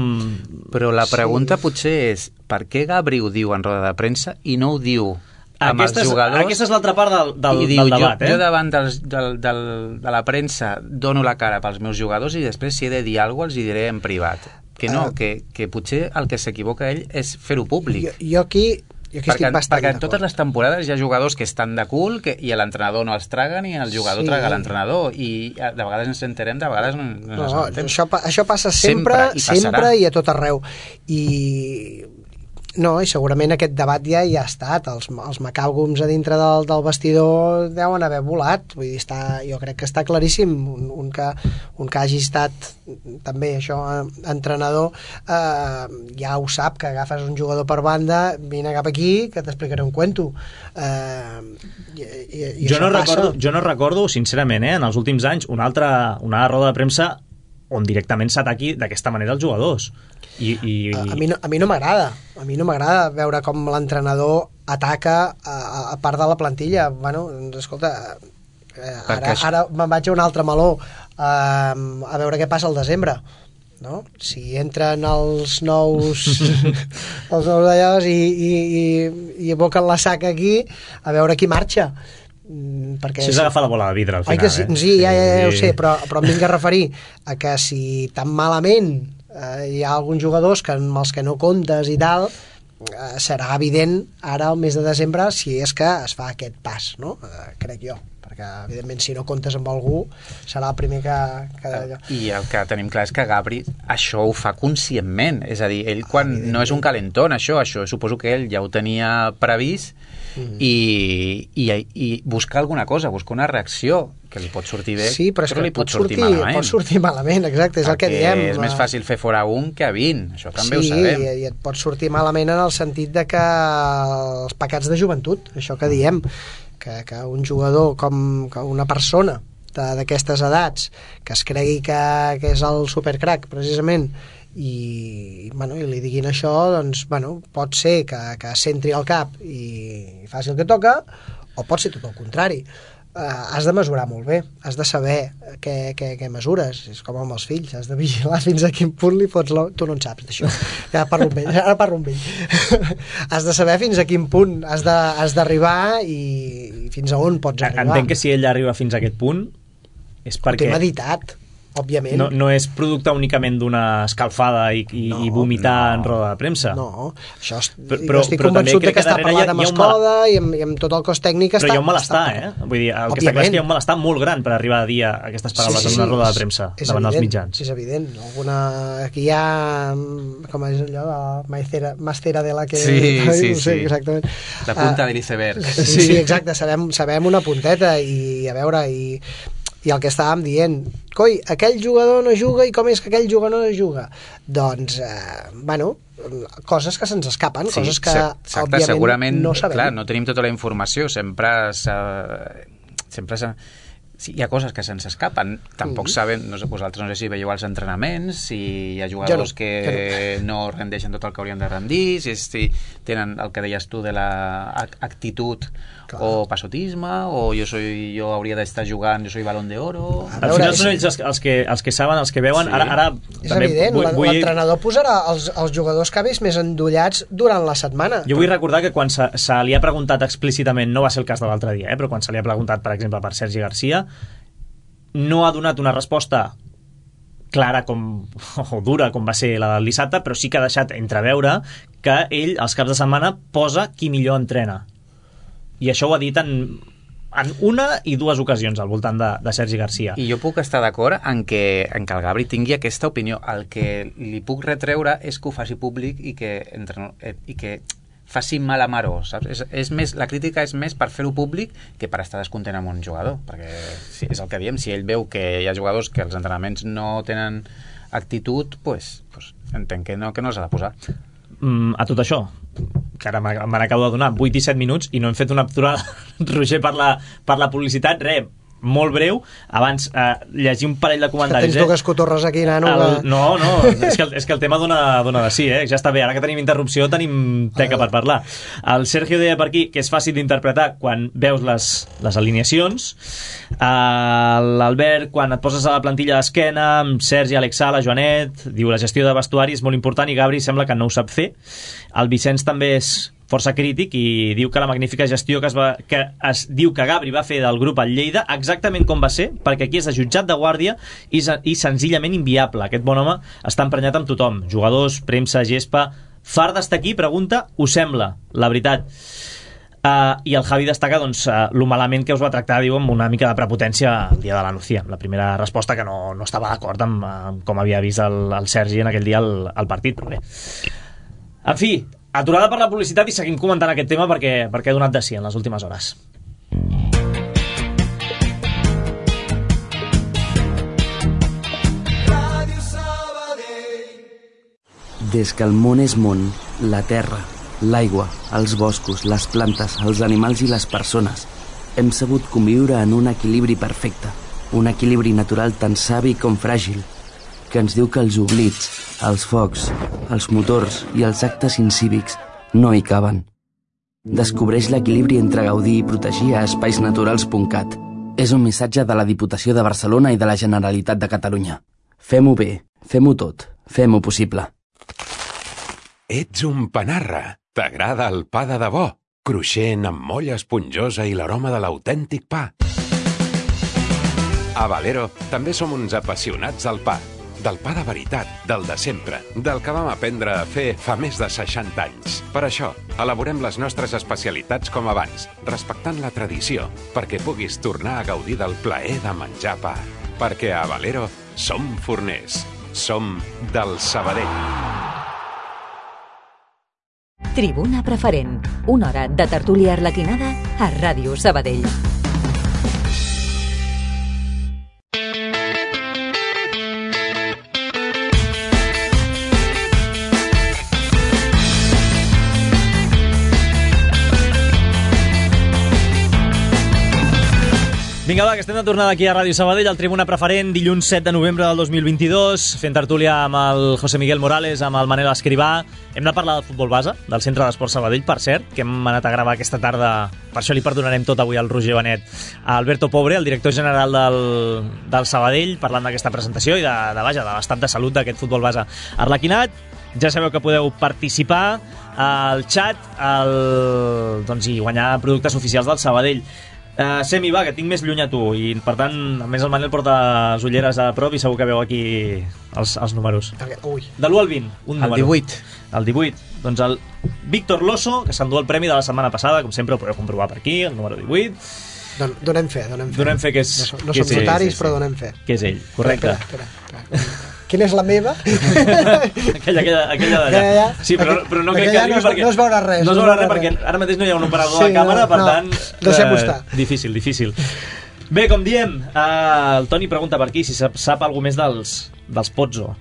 Però la pregunta sí. potser és per què Gabri ho diu en roda de premsa i no ho diu amb aquesta els jugadors? És, aquesta és l'altra part del, del, diu, del debat. Jo, eh? jo davant dels, del, del, de la premsa dono la cara pels meus jugadors i després si he de dir alguna cosa els hi diré en privat. Que no, uh, que, que potser el que s'equivoca ell és fer-ho públic. Jo, jo aquí... Jo aquí perquè, estic bastant perquè en totes les temporades hi ha jugadors que estan de cul que, i l'entrenador no els traga ni el jugador sí. traga l'entrenador i de vegades ens enterem, de vegades no, no, no ens enterem. Això, això passa sempre, sempre i, sempre i a tot arreu. I... No, i segurament aquest debat ja hi ha estat. Els, els macàlgums a dintre del, del vestidor deuen haver volat. Vull dir, està, jo crec que està claríssim. Un, un, que, un que hagi estat també això, entrenador, eh, ja ho sap, que agafes un jugador per banda, vine cap aquí, que t'explicaré un cuento. Eh, i, i, i jo, no recordo, jo no recordo, sincerament, eh, en els últims anys, una altra una roda de premsa on directament s'ataqui d'aquesta manera els jugadors. I, i... A, a mi no, a mi no m'agrada a mi no m'agrada veure com l'entrenador ataca a, a part de la plantilla. Bueno, escolta, eh, ara, ara me'n vaig a un altre meló, eh, a veure què passa al desembre, no? Si entren els nous els nous d'allòs i, i, i, i aboquen la saca aquí, a veure qui marxa. Perquè si s'agafa la bola de vidre al final. Que sí, eh? sí, ja, ja, ja ho sé, però, però em vinc a referir a que si tan malament eh, hi ha alguns jugadors que amb els que no comptes i tal, serà evident ara al mes de desembre si és que es fa aquest pas, no? Eh, crec jo, perquè evidentment si no comptes amb algú serà el primer que... que... I el que tenim clar és que Gabri això ho fa conscientment, és a dir, ell quan no és un calentón, això, això suposo que ell ja ho tenia previst. Mm. I, i, i buscar alguna cosa, buscar una reacció que li pot sortir bé, sí, però, és però que li pot, pot sortir, sortir malament. Pot sortir malament, exacte, és Perquè el que diem. És més fàcil fer fora un que a vint, això també sí, ho sabem. Sí, i et pot sortir malament en el sentit de que els pecats de joventut, això que diem, que, que un jugador com que una persona d'aquestes edats que es cregui que, que és el supercrack, precisament, i, bueno, i li diguin això, doncs, bueno, pot ser que, que s'entri al cap i faci el que toca, o pot ser tot el contrari. Uh, has de mesurar molt bé, has de saber què, què, què mesures, és com amb els fills, has de vigilar fins a quin punt li fots la... Tu no en saps d'això, ja parlo amb ell, ara parlo amb ell. Has de saber fins a quin punt has de, has d'arribar i, i fins a on pots arribar. Entenc que si ell arriba fins a aquest punt és perquè... Ho té meditat, òbviament. No, no és producte únicament d'una escalfada i, i, no, i vomitar no. en roda de premsa. No, això és, però, jo estic però convençut de que està parlat amb Escoda mal... i, amb, i amb tot el cos tècnic però està... hi ha un malestar, eh? Vull dir, el òbviament. Que està clar és que hi ha un malestar molt gran per arribar a dir aquestes paraules sí, sí, en una roda de premsa és, davant és dels mitjans. És evident. Alguna... Aquí hi ha... com és allò de Maicera, Mastera de la que... Sí, sí, no sé, sí. Exactament. La punta uh, de l'iceberg. Sí, sí, exacte. Sabem, sabem una punteta i a veure... i i el que estàvem dient, coi, aquell jugador no juga i com és que aquell jugador no juga? Doncs, eh, bueno, coses que se'ns escapen, sí, coses que exacte, òbviament segurament, no sabem. Clar, no tenim tota la informació, sempre sempre s'ha... Sí, hi ha coses que se'ns escapen, tampoc mm. sabem, no sé, vosaltres no sé si veieu els entrenaments, si hi ha jugadors no, que no. no rendeixen tot el que haurien de rendir, si, si tenen el que deies tu de l'actitud la o passotisme, o jo, soy, jo hauria d'estar jugant, jo soy balón de oro... Al final són ells els, els, que, els que saben, els que veuen, sí. ara, ara és també evident, vull, vull... l'entrenador posarà els, els jugadors que ha vist més endollats durant la setmana. Jo vull recordar que quan se, se li ha preguntat explícitament, no va ser el cas de l'altre dia, eh, però quan se li ha preguntat, per exemple, per Sergi Garcia, no ha donat una resposta clara com, o dura com va ser la del dissabte, però sí que ha deixat entreveure que ell, als caps de setmana, posa qui millor entrena. I això ho ha dit en, en una i dues ocasions al voltant de, de Sergi Garcia. I jo puc estar d'acord en que, en que el Gabri tingui aquesta opinió. El que li puc retreure és que ho faci públic i que, entre, i que faci mal a Maró, saps? És, és més, la crítica és més per fer-ho públic que per estar descontent amb un jugador, perquè si, és el que diem, si ell veu que hi ha jugadors que els entrenaments no tenen actitud, pues, pues entenc que no, que no s'ha de posar. Mm, a tot això, que ara me n'acabo de donar vuit i set minuts i no hem fet una aturada, Roger, per la, per la publicitat, res, molt breu, abans eh, llegir un parell de comentaris. Que tens dues cotorres aquí, nano. El, no, no, és que, el, és que el tema dona, dona de sí, eh? Ja està bé, ara que tenim interrupció tenim teca per parlar. El Sergio deia per aquí que és fàcil d'interpretar quan veus les, les alineacions. L'Albert, quan et poses a la plantilla d'esquena, amb Sergi, Alex Sala, Joanet, diu la gestió de vestuari és molt important i Gabri sembla que no ho sap fer. El Vicenç també és força crític i diu que la magnífica gestió que es, va, que es diu que Gabri va fer del grup al Lleida exactament com va ser, perquè aquí és de jutjat de guàrdia i, i senzillament inviable. Aquest bon home està emprenyat amb tothom, jugadors, premsa, gespa. Far d'estar aquí, pregunta, us sembla, la veritat. Uh, i el Javi destaca doncs, uh, lo malament que us va tractar, diu, amb una mica de prepotència el dia de la Nucía. La primera resposta que no, no estava d'acord amb, amb com havia vist el, el Sergi en aquell dia al, al partit, però bé. En fi, aturada per la publicitat i seguim comentant aquest tema perquè, perquè ha donat de sí en les últimes hores. Des que el món és món, la terra, l'aigua, els boscos, les plantes, els animals i les persones hem sabut conviure en un equilibri perfecte, un equilibri natural tan savi com fràgil, que ens diu que els oblits, els focs, els motors i els actes incívics no hi caben. Descobreix l'equilibri entre gaudir i protegir a espais naturals punt cat. És un missatge de la Diputació de Barcelona i de la Generalitat de Catalunya. Fem-ho bé, fem-ho tot, fem-ho possible. Ets un panarra. T'agrada el pa de debò, cruixent amb molla esponjosa i l'aroma de l'autèntic pa. A Valero també som uns apassionats del pa. del pa de veritat, del de sempre, del que vam aprendre a fer fa més de seixanta anys. Per això, elaborem les nostres especialitats com abans, respectant la tradició, perquè puguis tornar a gaudir del plaer de menjar pa. Perquè a Valero som forners, som del Sabadell. Tribuna Preferent, una hora de tertúlia arlequinada a Ràdio Sabadell. Vinga, va, que estem de tornada aquí a Ràdio Sabadell, al Tribuna Preferent, dilluns set de novembre del dos mil vint-i-dos, fent tertúlia amb el José Miguel Morales, amb el Manel Escrivà. Hem de parlar del futbol base, del Centre d'Esport Sabadell, per cert, que hem anat a gravar aquesta tarda, per això li perdonarem tot avui al Roger Benet, a Alberto Pobre, el director general del, del Sabadell, parlant d'aquesta presentació i de, de, vaja, de l'estat de salut d'aquest futbol base arlequinat. Ja sabeu que podeu participar al xat el, doncs, i guanyar productes oficials del Sabadell. Uh, Semi, va, que tinc més lluny a tu i per tant, a més el Manel porta les ulleres a prop i segur que veu aquí els, els números. Ui. De l'u al vint, un número. El divuit. El divuit. Doncs el Víctor Loso, que s'endú el premi de la setmana passada, com sempre ho podeu comprovar per aquí, el número divuit. Don, donem fe, donem fe. Donem fe que és... No, som, no que som és notaris, ell, però sí, sí. donem fe. Que és ell, correcte. Espera, espera, espera. Quina és la meva? aquella, aquella, aquella d'allà. Sí, però, però no crec que arribi no es, perquè... No es veurà res. No es veurà res perquè ara mateix no hi ha un operador sí, de càmera, per no, tant... Deixem-ho estar. Difícil, difícil. Bé, com diem, eh, el Toni pregunta per aquí si sap, sap alguna més dels, dels Pozzo.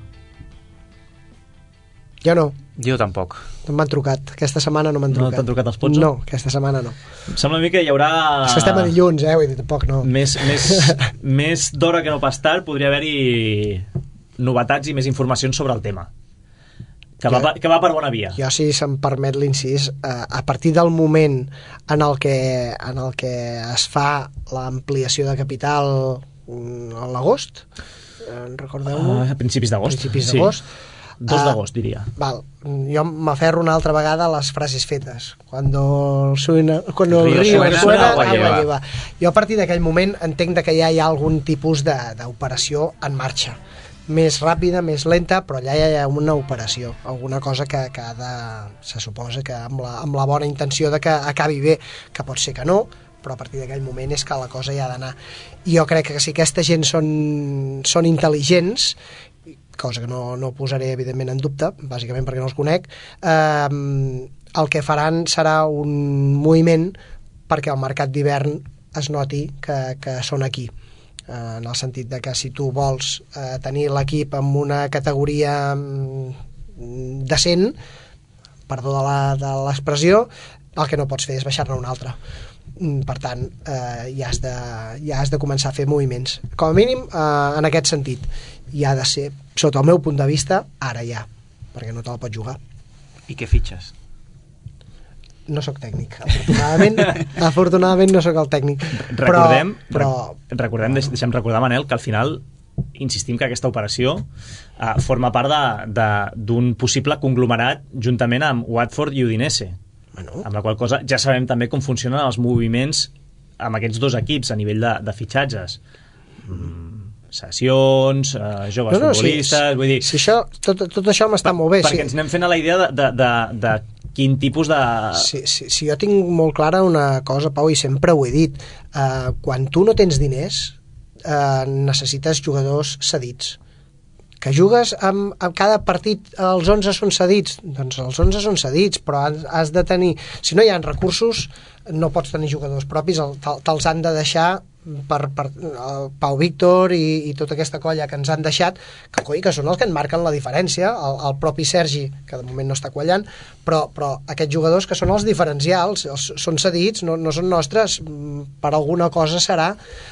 Jo no. Jo tampoc. No m'han trucat. Aquesta setmana no m'han trucat. No t'han trucat els Pozzo? No, aquesta setmana no. Em sembla a mi que hi haurà... És que estem a dilluns, eh? Vull dir, tampoc no. Més, més, més d'hora que no pas tard podria haver-hi novetats i més informacions sobre el tema. Que, jo, va, que va per bona via. Jo, si se'm permet l'incís, eh, a partir del moment en el que, en el que es fa l'ampliació de capital a l'agost, eh, recordeu-ho? Uh, a principis d'agost. Principis d'agost. Sí. dos d'agost, diria. Uh, val. Jo m'aferro una altra vegada a les frases fetes. Cuando el, suena, cuando el río suena, suena agua lleva. lleva. Jo a partir d'aquell moment entenc que ja hi ha algun tipus d'operació en marxa. Més ràpida, més lenta, però allà hi ha una operació, alguna cosa que, que ha de, se suposa que amb la, amb la bona intenció de que acabi bé, que pot ser que no, però a partir d'aquell moment és que la cosa hi ha d'anar. I jo crec que si aquesta gent són, són intel·ligents, cosa que no, no posaré evidentment en dubte, bàsicament perquè no els conec, eh, el que faran serà un moviment perquè el mercat d'hivern es noti que, que són aquí. En el sentit de que si tu vols eh, tenir l'equip amb una categoria mm, decent, perdó de l'expressió, el que no pots fer és baixar-ne una altra. Per tant, eh, ja, has de, ja has de començar a fer moviments. Com a mínim, eh, en aquest sentit. I ha de ser, sota el meu punt de vista, ara ja, perquè no te'l pots jugar. I què fitxes? No sóc tècnic, afortunadament afortunadament no sóc el tècnic, recordem, però, però... recordem deixem recordar, Manel, que al final insistim que aquesta operació uh, forma part d'un possible conglomerat juntament amb Watford i Udinese, bueno. Amb la qual cosa ja sabem també com funcionen els moviments amb aquests dos equips a nivell de, de fitxatges, mm, sessions, uh, joves no, no, futbolistes, sí, vull dir... Si això, tot, tot això m'està molt bé. Perquè sí. Ens anem fent a la idea de, de, de, de quin tipus de... Si, si, si jo tinc molt clara una cosa, Pau, i sempre ho he dit, eh, quan tu no tens diners eh, necessites jugadors cedits. Que jugues amb, amb cada partit, els onze són cedits, doncs els onze són cedits, però has, has de tenir, si no hi ha recursos no pots tenir jugadors propis, te'ls han de deixar per, per el Pau Víctor i, i tota aquesta colla que ens han deixat, que, coi, que són els que en marquen la diferència, el, el propi Sergi, que de moment no està quallant, però, però aquests jugadors que són els diferencials, els, són cedits, no, no són nostres, per alguna cosa serà,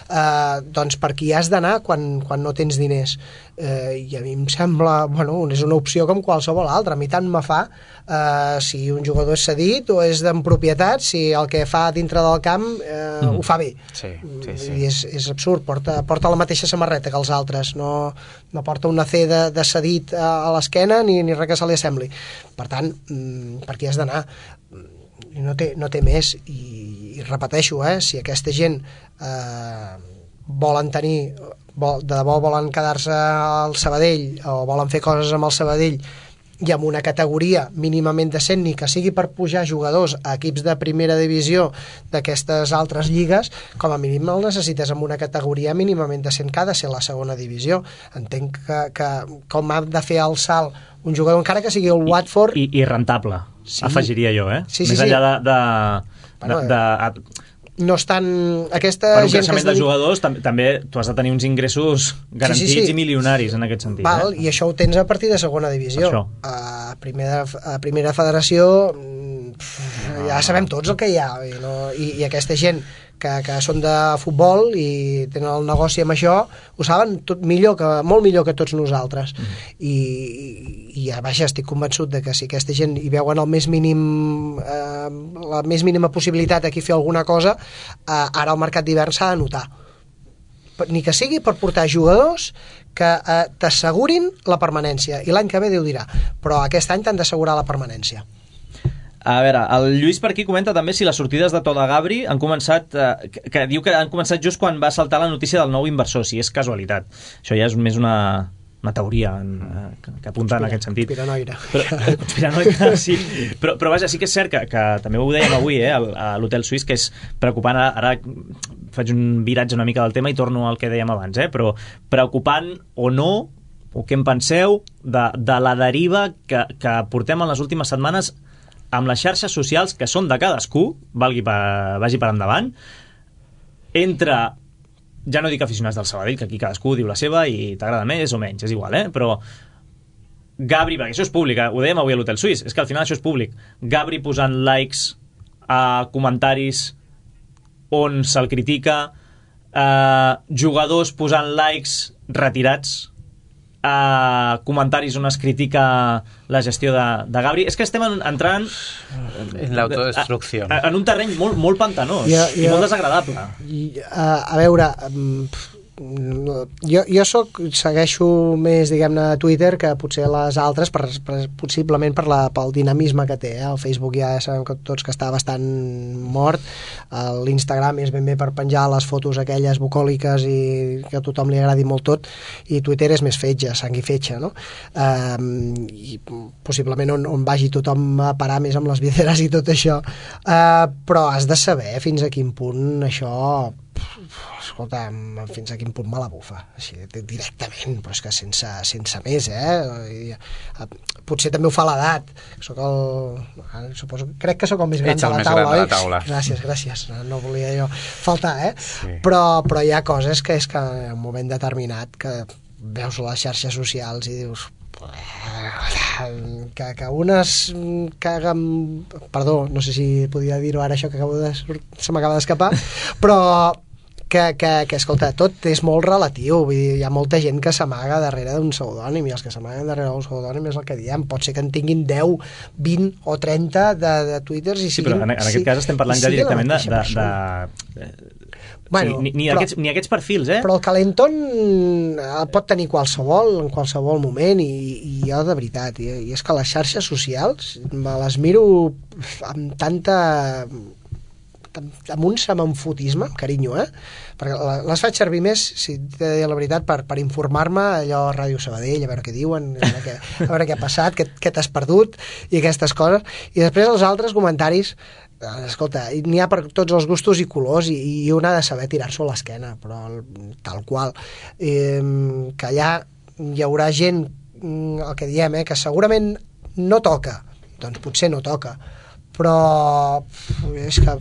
eh, doncs per qui has d'anar quan, quan no tens diners. Eh, I a mi em sembla, bueno, és una opció com qualsevol altra, a mi tant me fa eh, si un jugador és cedit o és d'en propietat, si el que fa dintre del camp eh, mm. ho fa bé. Sí, sí, sí. I és, és absurd, porta, porta la mateixa samarreta que els altres, no, no porta una C de, de cedit a, a l'esquena ni, ni res que se li assembli. Per tant, per qui has d'anar? No té, no té més, i, i repeteixo, eh, si aquesta gent eh, volen tenir, vol, de debò volen quedar-se al Sabadell o volen fer coses amb el Sabadell i amb una categoria mínimament decent, ni que sigui per pujar jugadors a equips de primera divisió d'aquestes altres lligues, com a mínim el necessites amb una categoria mínimament decent que ha de ser la segona divisió. Entenc que, que com ha de fer el salt un jugador, encara que sigui el Watford... I, i, i rentable, sí. Afegiria jo, eh? Sí, sí, Més sí. enllà de... de, bueno, de, de no estan... Aquesta per un gent creixement que de jugadors tam també tu has de tenir uns ingressos garantits sí, sí, sí. i milionaris en aquest sentit. Val, eh? I això ho tens a partir de segona divisió. A primera, a primera federació pff, ja sabem tots el que hi ha. I, no? I, i aquesta gent que, que són de futbol i tenen el negoci amb això, ho saben tot millor que, molt millor que tots nosaltres. Mm. I, i, i vaja, estic convençut de que si aquesta gent hi veuen el més mínim eh, la més mínima possibilitat aquí fer alguna cosa, eh, ara el mercat d'hivern s'ha de notar. Ni que sigui per portar jugadors que eh, t'assegurin la permanència, i l'any que ve Déu dirà, però aquest any t'han d'assegurar la permanència. A veure, el Lluís per aquí comenta també si les sortides de Toda Gabri han començat, eh, que, que diu que han començat just quan va saltar la notícia del nou inversor, si és casualitat. Això ja és més una, una teoria en, eh, que, que apunta Conspira, en aquest sentit. Conspiranoire. Però, conspiranoire, sí. Però, però vaja, sí que és cert que, que també ho dèiem avui eh, a l'Hotel Suís, que és preocupant. Ara, ara faig un viratge una mica del tema i torno al que dèiem abans, eh, però preocupant o no, o què en penseu de, de la deriva que, que portem en les últimes setmanes amb les xarxes socials que són de cadascú, valgui per, vagi per endavant, entre, ja no dic aficionats del Sabadell, que aquí cadascú diu la seva i t'agrada més o menys, és igual, eh? Però Gabri, perquè això és públic, eh? Ho dèiem avui a l'Hotel Suís, és que al final això és públic, Gabri posant likes a comentaris on se'l critica, eh, jugadors posant likes retirats, a comentaris on es critica la gestió de, de Gabri. És que estem en, entrant en l'autodestrucció, en un terreny molt, molt pantanós jo, jo, i molt desagradable. I, a, a veure, jo, jo soc, segueixo més, diguem-ne, Twitter que potser les altres, per, per, possiblement per la, pel dinamisme que té. Eh? El Facebook ja sabem que tots que està bastant mort, l'Instagram és ben bé per penjar les fotos aquelles bucòliques i que a tothom li agradi molt tot, i Twitter és més fetge, sang i fetge, no? Um, i possiblement on, on vagi tothom a parar més amb les videres i tot això. Uh, però has de saber fins a quin punt això... escolta, fins a quin punt me la bufa, així, directament, però és que sense, sense més, eh? I, potser també ho fa l'edat, soc el... suposo, crec que sóc el més gran, Ets de la, més taula, gran de la taula, gràcies, gràcies, no, no volia jo faltar, eh? Sí. Però, però hi ha coses que és que en un moment determinat que veus les xarxes socials i dius que, que unes caguen, perdó, no sé si podia dir-ho ara això que acabo de se m'acaba d'escapar, però que, que, que, escolta, tot és molt relatiu, vull dir, hi ha molta gent que s'amaga darrere d'un pseudònim, i els que s'amaguen darrere d'un pseudònim és el que diem, pot ser que en tinguin deu, vint o trenta de, de twitters i sí, siguin... però en, en aquest sí, cas estem parlant ja directament de... de, de, de bueno, sí, ni, ni, però, aquests, ni aquests perfils, eh? Però el calentón el pot tenir qualsevol, en qualsevol moment, i, i jo de veritat, i, i és que les xarxes socials me les miro amb tanta... amb un semenfotisme, carinyo, eh? Perquè les faig servir més, si t'he de dir la veritat, per, per informar-me allò a Ràdio Sabadell, a veure què diuen, a veure què, a veure què ha passat, què, què t'has perdut, i aquestes coses. I després els altres comentaris, escolta, n'hi ha per tots els gustos i colors, i, i un ha de saber tirar-s'ho a l'esquena, però tal qual. Eh, que allà hi haurà gent, el que diem, eh, que segurament no toca, doncs potser no toca, però és que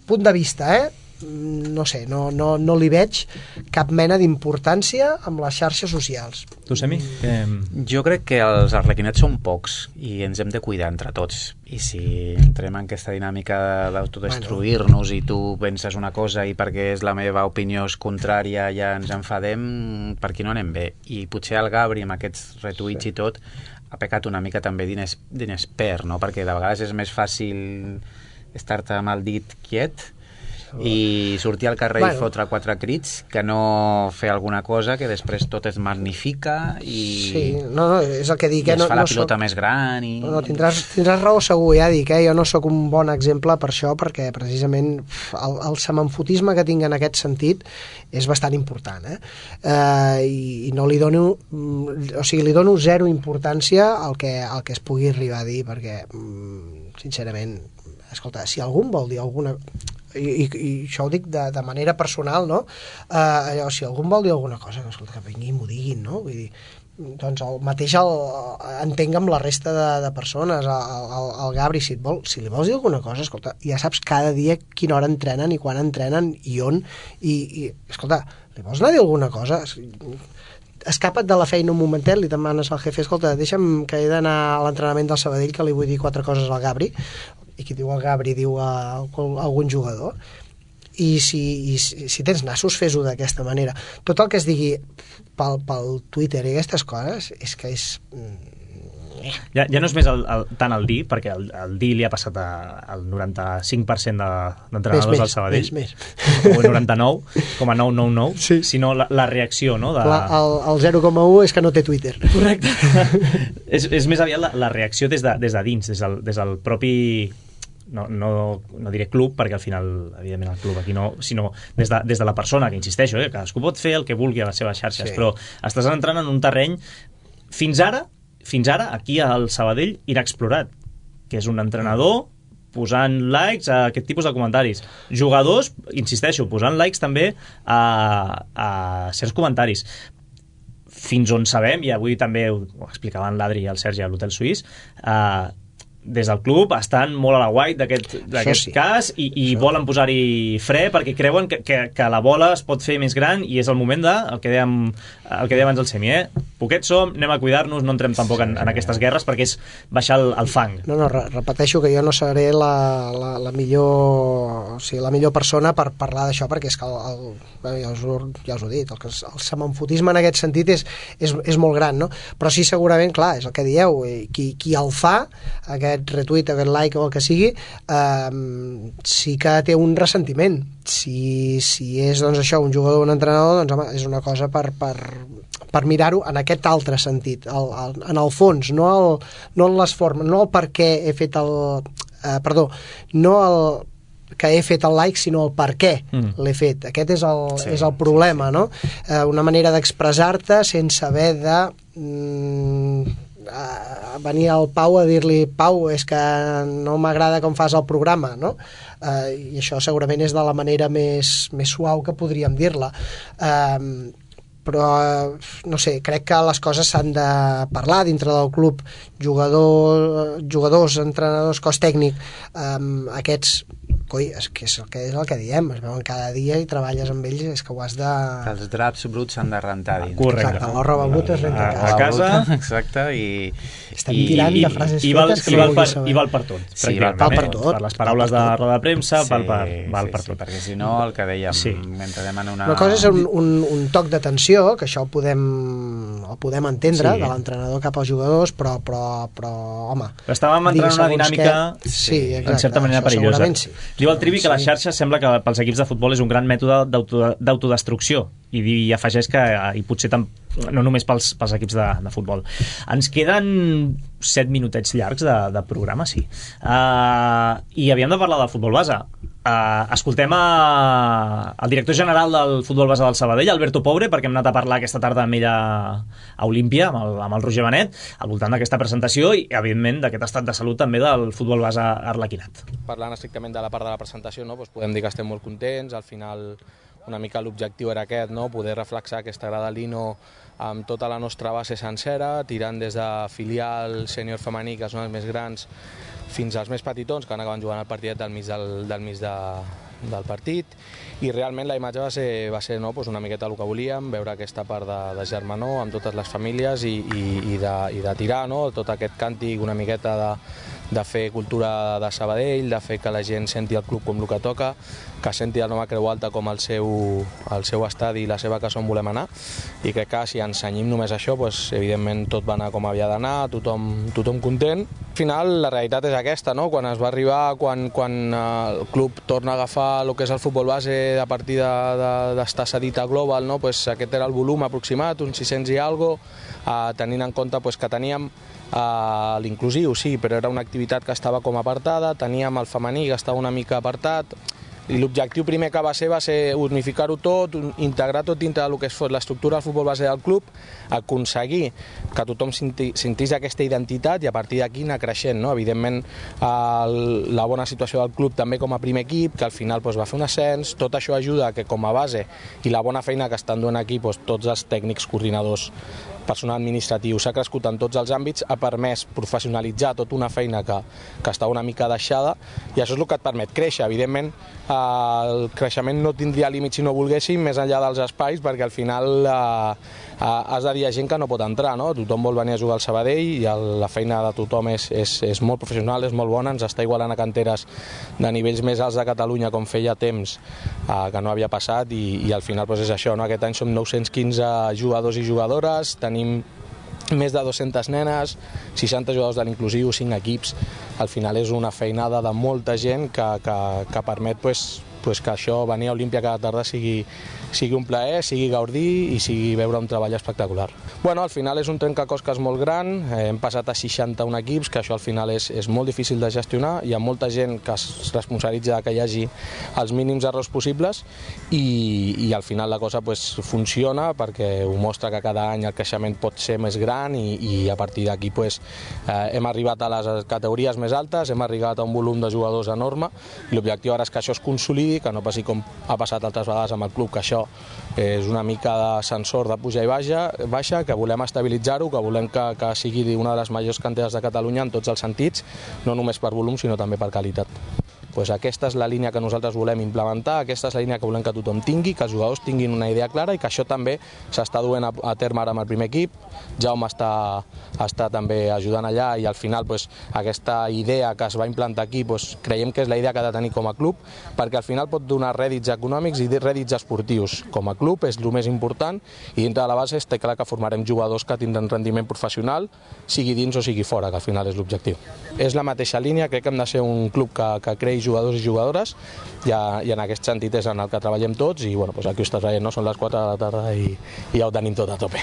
punt de vista, eh? no sé, no, no, no li veig cap mena d'importància amb les xarxes socials. Tu, Semi? Eh... Jo crec que els arlequinets són pocs i ens hem de cuidar entre tots, i si entrem en aquesta dinàmica d'autodestruir-nos, bueno, i tu penses una cosa i perquè és la meva opinió és contrària ja ens enfadem, per aquí no anem bé. I potser el Gabri amb aquests retuits sí. i tot ha pecat una mica també d'inexpert, no? Perquè de vegades és més fàcil estar-te amb el dit quiet i sortir al carrer Bueno. i fotre quatre crits, que no fer alguna cosa que després tot es magnifica i Sí, no, no, és el que dic, i eh? es no, fa la no pilota soc... més gran i... No, no, tindràs, tindràs raó segur, ja dic, eh? Jo no sóc un bon exemple per això, perquè precisament el, el semanfotisme que tinc en aquest sentit és bastant important, eh? Eh, i, i no li dono, o sigui, li dono zero importància al que, al que es pugui arribar a dir, perquè, sincerament, escolta, si algú vol dir alguna... I, i, i això ho dic de, de manera personal, no? Eh, allò, si algú vol dir alguna cosa, escolta, que vingui i m'ho diguin, no? Vull dir, doncs el mateix el, entenc amb la resta de, de persones, el, el, el Gabri, si, et vol, si li vols dir alguna cosa, escolta, ja saps cada dia quina hora entrenen i quan entrenen i on, i, i escolta, li vols anar a dir alguna cosa? Escapa't de la feina un momentet, li demanes al jefe, escolta, deixa'm que he d'anar a l'entrenament del Sabadell, que li vull dir quatre coses al Gabri, i qui diu el Gabri diu a, a algun jugador, i si, i si, si tens nassos, fes-ho d'aquesta manera. Tot el que es digui pel, pel Twitter i aquestes coses és que és... Ja, ja no és més el, el, tant el D, perquè el, el D li ha passat a, al noranta-cinc per cent de, d'entrenadors del Sabadell, més, més. o el noranta-nou coma nou nou nou, Sí. sinó la, la reacció, no? De... La, el, el zero coma u és que no té Twitter. Correcte. és, és més aviat la, la reacció des de, des de dins, des del, des del propi... No, no, no diré club, perquè al final, evidentment, el club aquí no, sinó des de, des de la persona, que insisteixo, eh, cadascú pot fer el que vulgui a les seves xarxes, Sí. però estàs entrant en un terreny, fins ara, fins ara, aquí al Sabadell, inexplorat, que és un entrenador posant likes a aquest tipus de comentaris. Jugadors, insisteixo, posant likes també a, a certs comentaris. Fins on sabem, i avui també ho explicaven l'Adri i el Sergi a l'Hotel Suís, eh, des del club estan molt a la guai d'aquest sí. cas i, i volen posar-hi fre perquè creuen que, que, que la bola es pot fer més gran i és el moment de, el que dèiem, el que dèiem abans el Semi, eh? Poquets som, anem a cuidar-nos, no entrem tampoc en, en aquestes guerres perquè és baixar el, el fang. No, no, re repeteixo que jo no seré la, la, la millor o sigui, la millor persona per parlar d'això, perquè és que el, el, ja, us ho, ja us ho he dit, el, el semanfotisme en aquest sentit és, és, és molt gran, no? Però sí, segurament, clar, és el que dieu, qui, qui el fa, aquest retweet, aquest like o el que sigui, eh, sí que té un ressentiment. Si, si és doncs això, un jugador o un entrenador, doncs home, és una cosa per, per, per mirar-ho en aquest altre sentit, el, el, en el fons, no, el, no en les formes, no el per què he fet el... Eh, perdó, no el que he fet el like, sinó el per què mm. l'he fet. Aquest és el, sí, és el problema, sí, sí. no? Eh, una manera d'expressar-te sense haver de... Mm, a venir al Pau a dir-li Pau, és que no m'agrada com fas el programa, no? Eh, i això segurament és de la manera més, més suau que podríem dir-la. Eh, però, no sé, crec que les coses s'han de parlar dintre del club, jugador, jugadors, entrenadors, cos tècnic, eh, aquests coi, és que és el que, és el que diem, es veuen cada dia i treballes amb ells, és que ho has de... Els draps bruts s'han de rentar dins. Correcte. Exacte, la roba bruta es renta a, a casa. Exacte, i... Estem tirant i, de frases i, val, fetes que i, val no per, saber. I val per tot. Sí, val per tot. Per les paraules de roda de premsa, sí, val per, val sí, per sí, tot. perquè si no, el que dèiem, Sí. mentre anem en una... Una cosa és un, un, un toc d'atenció, que això ho podem, ho podem entendre, Sí. de l'entrenador cap als jugadors, però, però, però home... Però estàvem entrant en una segons dinàmica què, sí, exacte, en certa manera això perillosa. segurament sí. Diu el Trivi que Sí. la xarxa sembla que pels equips de futbol és un gran mètode d'auto- d'autodestrucció i, i afegeix que i potser tam, no només pels, pels equips de, de futbol. Ens queden set minutets llargs de, de programa, sí. Uh, I havíem de parlar del futbol base. Uh, escoltem a, el director general del futbol base del Sabadell, Alberto Pobre, perquè hem anat a parlar aquesta tarda amb ell a, a Olímpia, amb el, amb el Roger Benet, al voltant d'aquesta presentació i, evidentment, d'aquest estat de salut també del futbol base arlequinat. Parlant estrictament de la part de la presentació, no? Doncs podem dir que estem molt contents. Al final, una mica l'objectiu era aquest, no? Poder reflexar aquesta grada Lino amb tota la nostra base sencera, tirant des de filial, sènior femení, que són els més grans, fins als més petitons, que van acabar jugant el partit del mig, del, del mig de, del partit, i realment la imatge va ser, va ser no, doncs una miqueta el que volíem, veure aquesta part de, de germanor amb totes les famílies i, i, i, de, i de tirar, no? Tot aquest càntic, una miqueta de, de fer cultura de Sabadell, de fer que la gent senti el club com el que toca, que senti el Nova Creu Alta com el seu, el seu estadi i la seva casa on volem anar, i crec que si ens cenyim només això, doncs, evidentment tot va anar com havia d'anar, tothom, tothom content, Al final la realitat és aquesta, no? Quan es va arribar, quan, quan el club torna a agafar el que és el futbol base a partir d'estar de, de, cedit a Global, no? Pues aquest era el volum aproximat, uns sis-cents i algo, eh, tenint en compte pues, que teníem eh, l'inclusiu, sí, però era una activitat que estava com apartada, teníem el femení que estava una mica apartat, i l'objectiu primer que va ser va ser unificar-ho tot, integrar tot dintre del que és l'estructura del futbol base del club, aconseguir que tothom sentís aquesta identitat i a partir d'aquí anar creixent, no? Evidentment el, la bona situació del club també com a primer equip, que al final doncs, va fer un ascens, tot això ajuda que com a base i la bona feina que estan duent aquí doncs, tots els tècnics coordinadors, personal administratiu, s'ha crescut en tots els àmbits, ha permès professionalitzar tota una feina que, que està una mica deixada i això és el que et permet créixer. Evidentment, el creixement no tindria límit si no volguéssim, més enllà dels espais, perquè al final eh, has de dir a gent que no pot entrar, no? Tothom vol venir a jugar al Sabadell i el, la feina de tothom és, és, és molt professional, és molt bona, ens està igualant a canteres de nivells més alts de Catalunya com feia temps eh, que no havia passat i, i al final doncs és això, no? Aquest any som nou-cents quinze jugadors i jugadores, tenim més de dues-centes nenes, seixanta jugadors de l'inclusiu, cinc equips. Al final és una feinada de molta gent que, que, que permet pues, pues que això, venir a Olímpia cada tarda sigui, sigui un plaer, sigui gaudir i sigui veure un treball espectacular. Bueno, al final és un trencaclosques molt gran, eh, hem passat a seixanta-un equips, que això al final és, és molt difícil de gestionar, hi ha molta gent que es responsabilitza que hi hagi els mínims errors possibles i, i al final la cosa pues, funciona perquè ho mostra que cada any el creixement pot ser més gran i, i a partir d'aquí pues, eh, hem arribat a les categories més altes, hem arribat a un volum de jugadors enorme i l'objectiu ara és que això es consolidi, que no passi com ha passat altres vegades amb el club, que això és una mica d'ascensor de puja i baixa, baixa que volem estabilitzar-ho, que volem que, que sigui una de les majors canteres de Catalunya en tots els sentits, no només per volum sinó també per qualitat. Pues aquesta és la línia que nosaltres volem implementar, aquesta és la línia que volem que tothom tingui, que els jugadors tinguin una idea clara i que això també s'està duent a, a terme ara amb el primer equip. Jaume està, està també ajudant allà i al final pues, aquesta idea que es va implantar aquí pues, creiem que és la idea que ha de tenir com a club perquè al final pot donar rèdits econòmics i rèdits esportius. Com a club és el més important i dintre de la base està clar que formarem jugadors que tindran rendiment professional, sigui dins o sigui fora, que al final és l'objectiu. És la mateixa línia, crec que hem de ser un club que, que crei jugadors i jugadores i, a, i en aquest sentit és en el que treballem tots i bueno, pues aquí ho estàs veient, no? Són les quatre de la tarda i, i ja ho tenim tot a tope.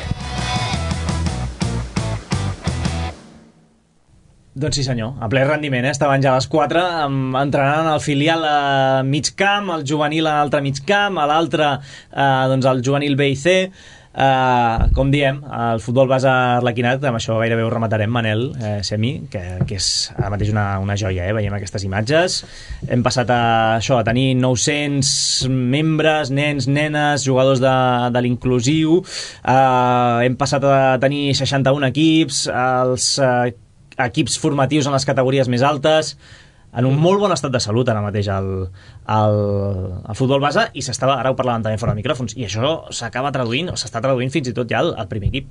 Doncs sí senyor, a ple rendiment, eh? Estaven ja a les quatre entrenant el filial a mig camp, el juvenil a l'altre mig camp, a l'altre eh, doncs el juvenil B i C. Uh, com diem, el futbol base Arlequinat, amb això gairebé ho rematarem, Manel eh, Semi, que, que és ara mateix una, una joia, eh? Veiem aquestes imatges. Hem passat a, això, a tenir nou-cents membres, nens, nenes, jugadors de, de l'inclusiu, uh, hem passat a tenir seixanta-un equips, els uh, equips formatius en les categories més altes, en un molt bon estat de salut ara mateix el, el, el futbol base i s'estava, ara ho parlàvem també fora de micròfons i això s'acaba traduint, o s'està traduint fins i tot ja al, al primer equip.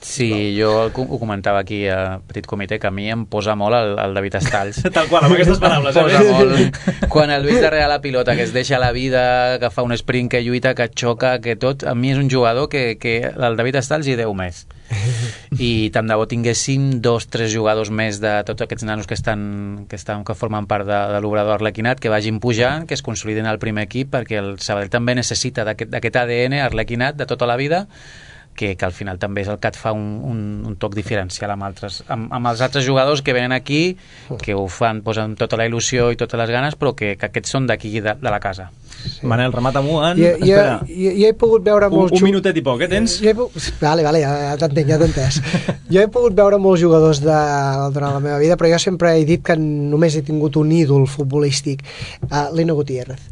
Sí, jo ho comentava aquí a Petit Comitè, que a mi em posa molt el, el David Estalls. Tal qual, amb aquestes paraules. Em posa molt. Quan el veig darrere la pilota, que es deixa la vida, que fa un sprint, que lluita, que xoca, que tot, a mi és un jugador que, que el David Estalls i Déu més. I tant de bo tinguéssim dos, tres jugadors més de tots aquests nanos que estan que, estan, que formen part de, de l'obrador Arlequinat, que vagin pujant, que es consoliden al primer equip, perquè el Sabadell també necessita d'aquest A D N Arlequinat de tota la vida, que, que al final també és el que et fa un, un, un toc diferencial amb, altres, amb, amb els altres jugadors que venen aquí, que ho fan, posen tota la il·lusió i totes les ganes, però que, que aquests són d'aquí de, de la casa. Sí. Manel, remata-m'ho en... Jo, jo, jo, jo he pogut veure molts... Un, un minutet i poc, eh, tens? Jo he pogut... Vale, vale, ja, ja t'entenc, ja t'he entès. Jo he pogut veure molts jugadors de, durant la meva vida, però jo sempre he dit que només he tingut un ídol futbolístic, uh, Lino Gutiérrez.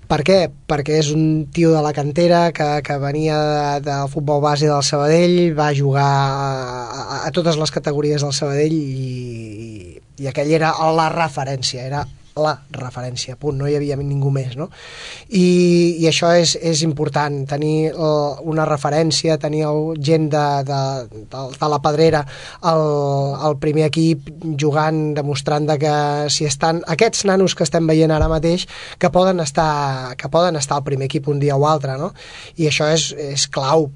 Per què? Perquè és un tio de la cantera que, que venia de, del futbol base del Sabadell, va jugar a, a, a totes les categories del Sabadell i, i aquell era la referència, era la referència, punt, no hi havia ningú més, no? I, i això és, és important, tenir uh, una referència, tenir el, gent de, de, de, de la Pedrera al, al primer equip jugant, demostrant de que si estan aquests nanos que estem veient ara mateix que poden estar, que poden estar al primer equip un dia o altre, no? I això és, és clau,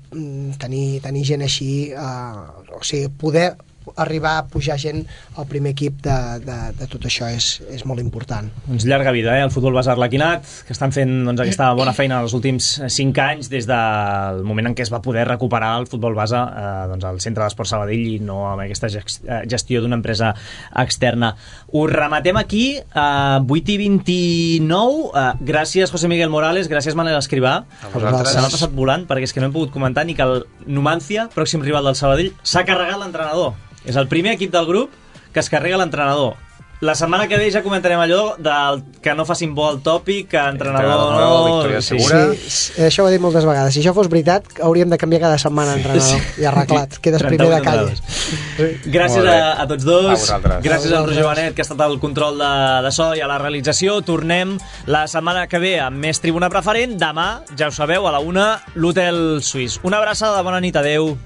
tenir, tenir gent així, uh, o sigui, poder arribar a pujar gent al primer equip de, de, de tot això és, és molt important. Doncs llarga vida, eh? El futbol base Arlequinat, que estan fent doncs, aquesta bona feina els últims cinc anys des del moment en què es va poder recuperar el futbol base eh, doncs, al Centre d'Esport Sabadell i no amb aquesta gestió d'una empresa externa. Ho rematem aquí a vuit i vint-i-nou. Eh, gràcies, José Miguel Morales, gràcies, Manel Escrivà. Se m'ha passat volant perquè és que no hem pogut comentar ni que el Numancia, pròxim rival del Sabadell, s'ha carregat l'entrenador. És el primer equip del grup que es carrega l'entrenador. La setmana que ve ja comentarem allò del que no facin bo el tòpic, que entrenador no... Victòria segura. Sí, sí, això ho he dit moltes vegades. Si això fos veritat, hauríem de canviar cada setmana entrenador. Sí. I arreglat. Quedes primer de calles. Gràcies a, a tots dos. A Gràcies al Roger Benet, que ha estat al control de, de so i a la realització. Tornem la setmana que ve amb més Tribuna Preferent. Demà, ja ho sabeu, a la una, l'Hotel Suís. Una abraçada, bona nit, adeu.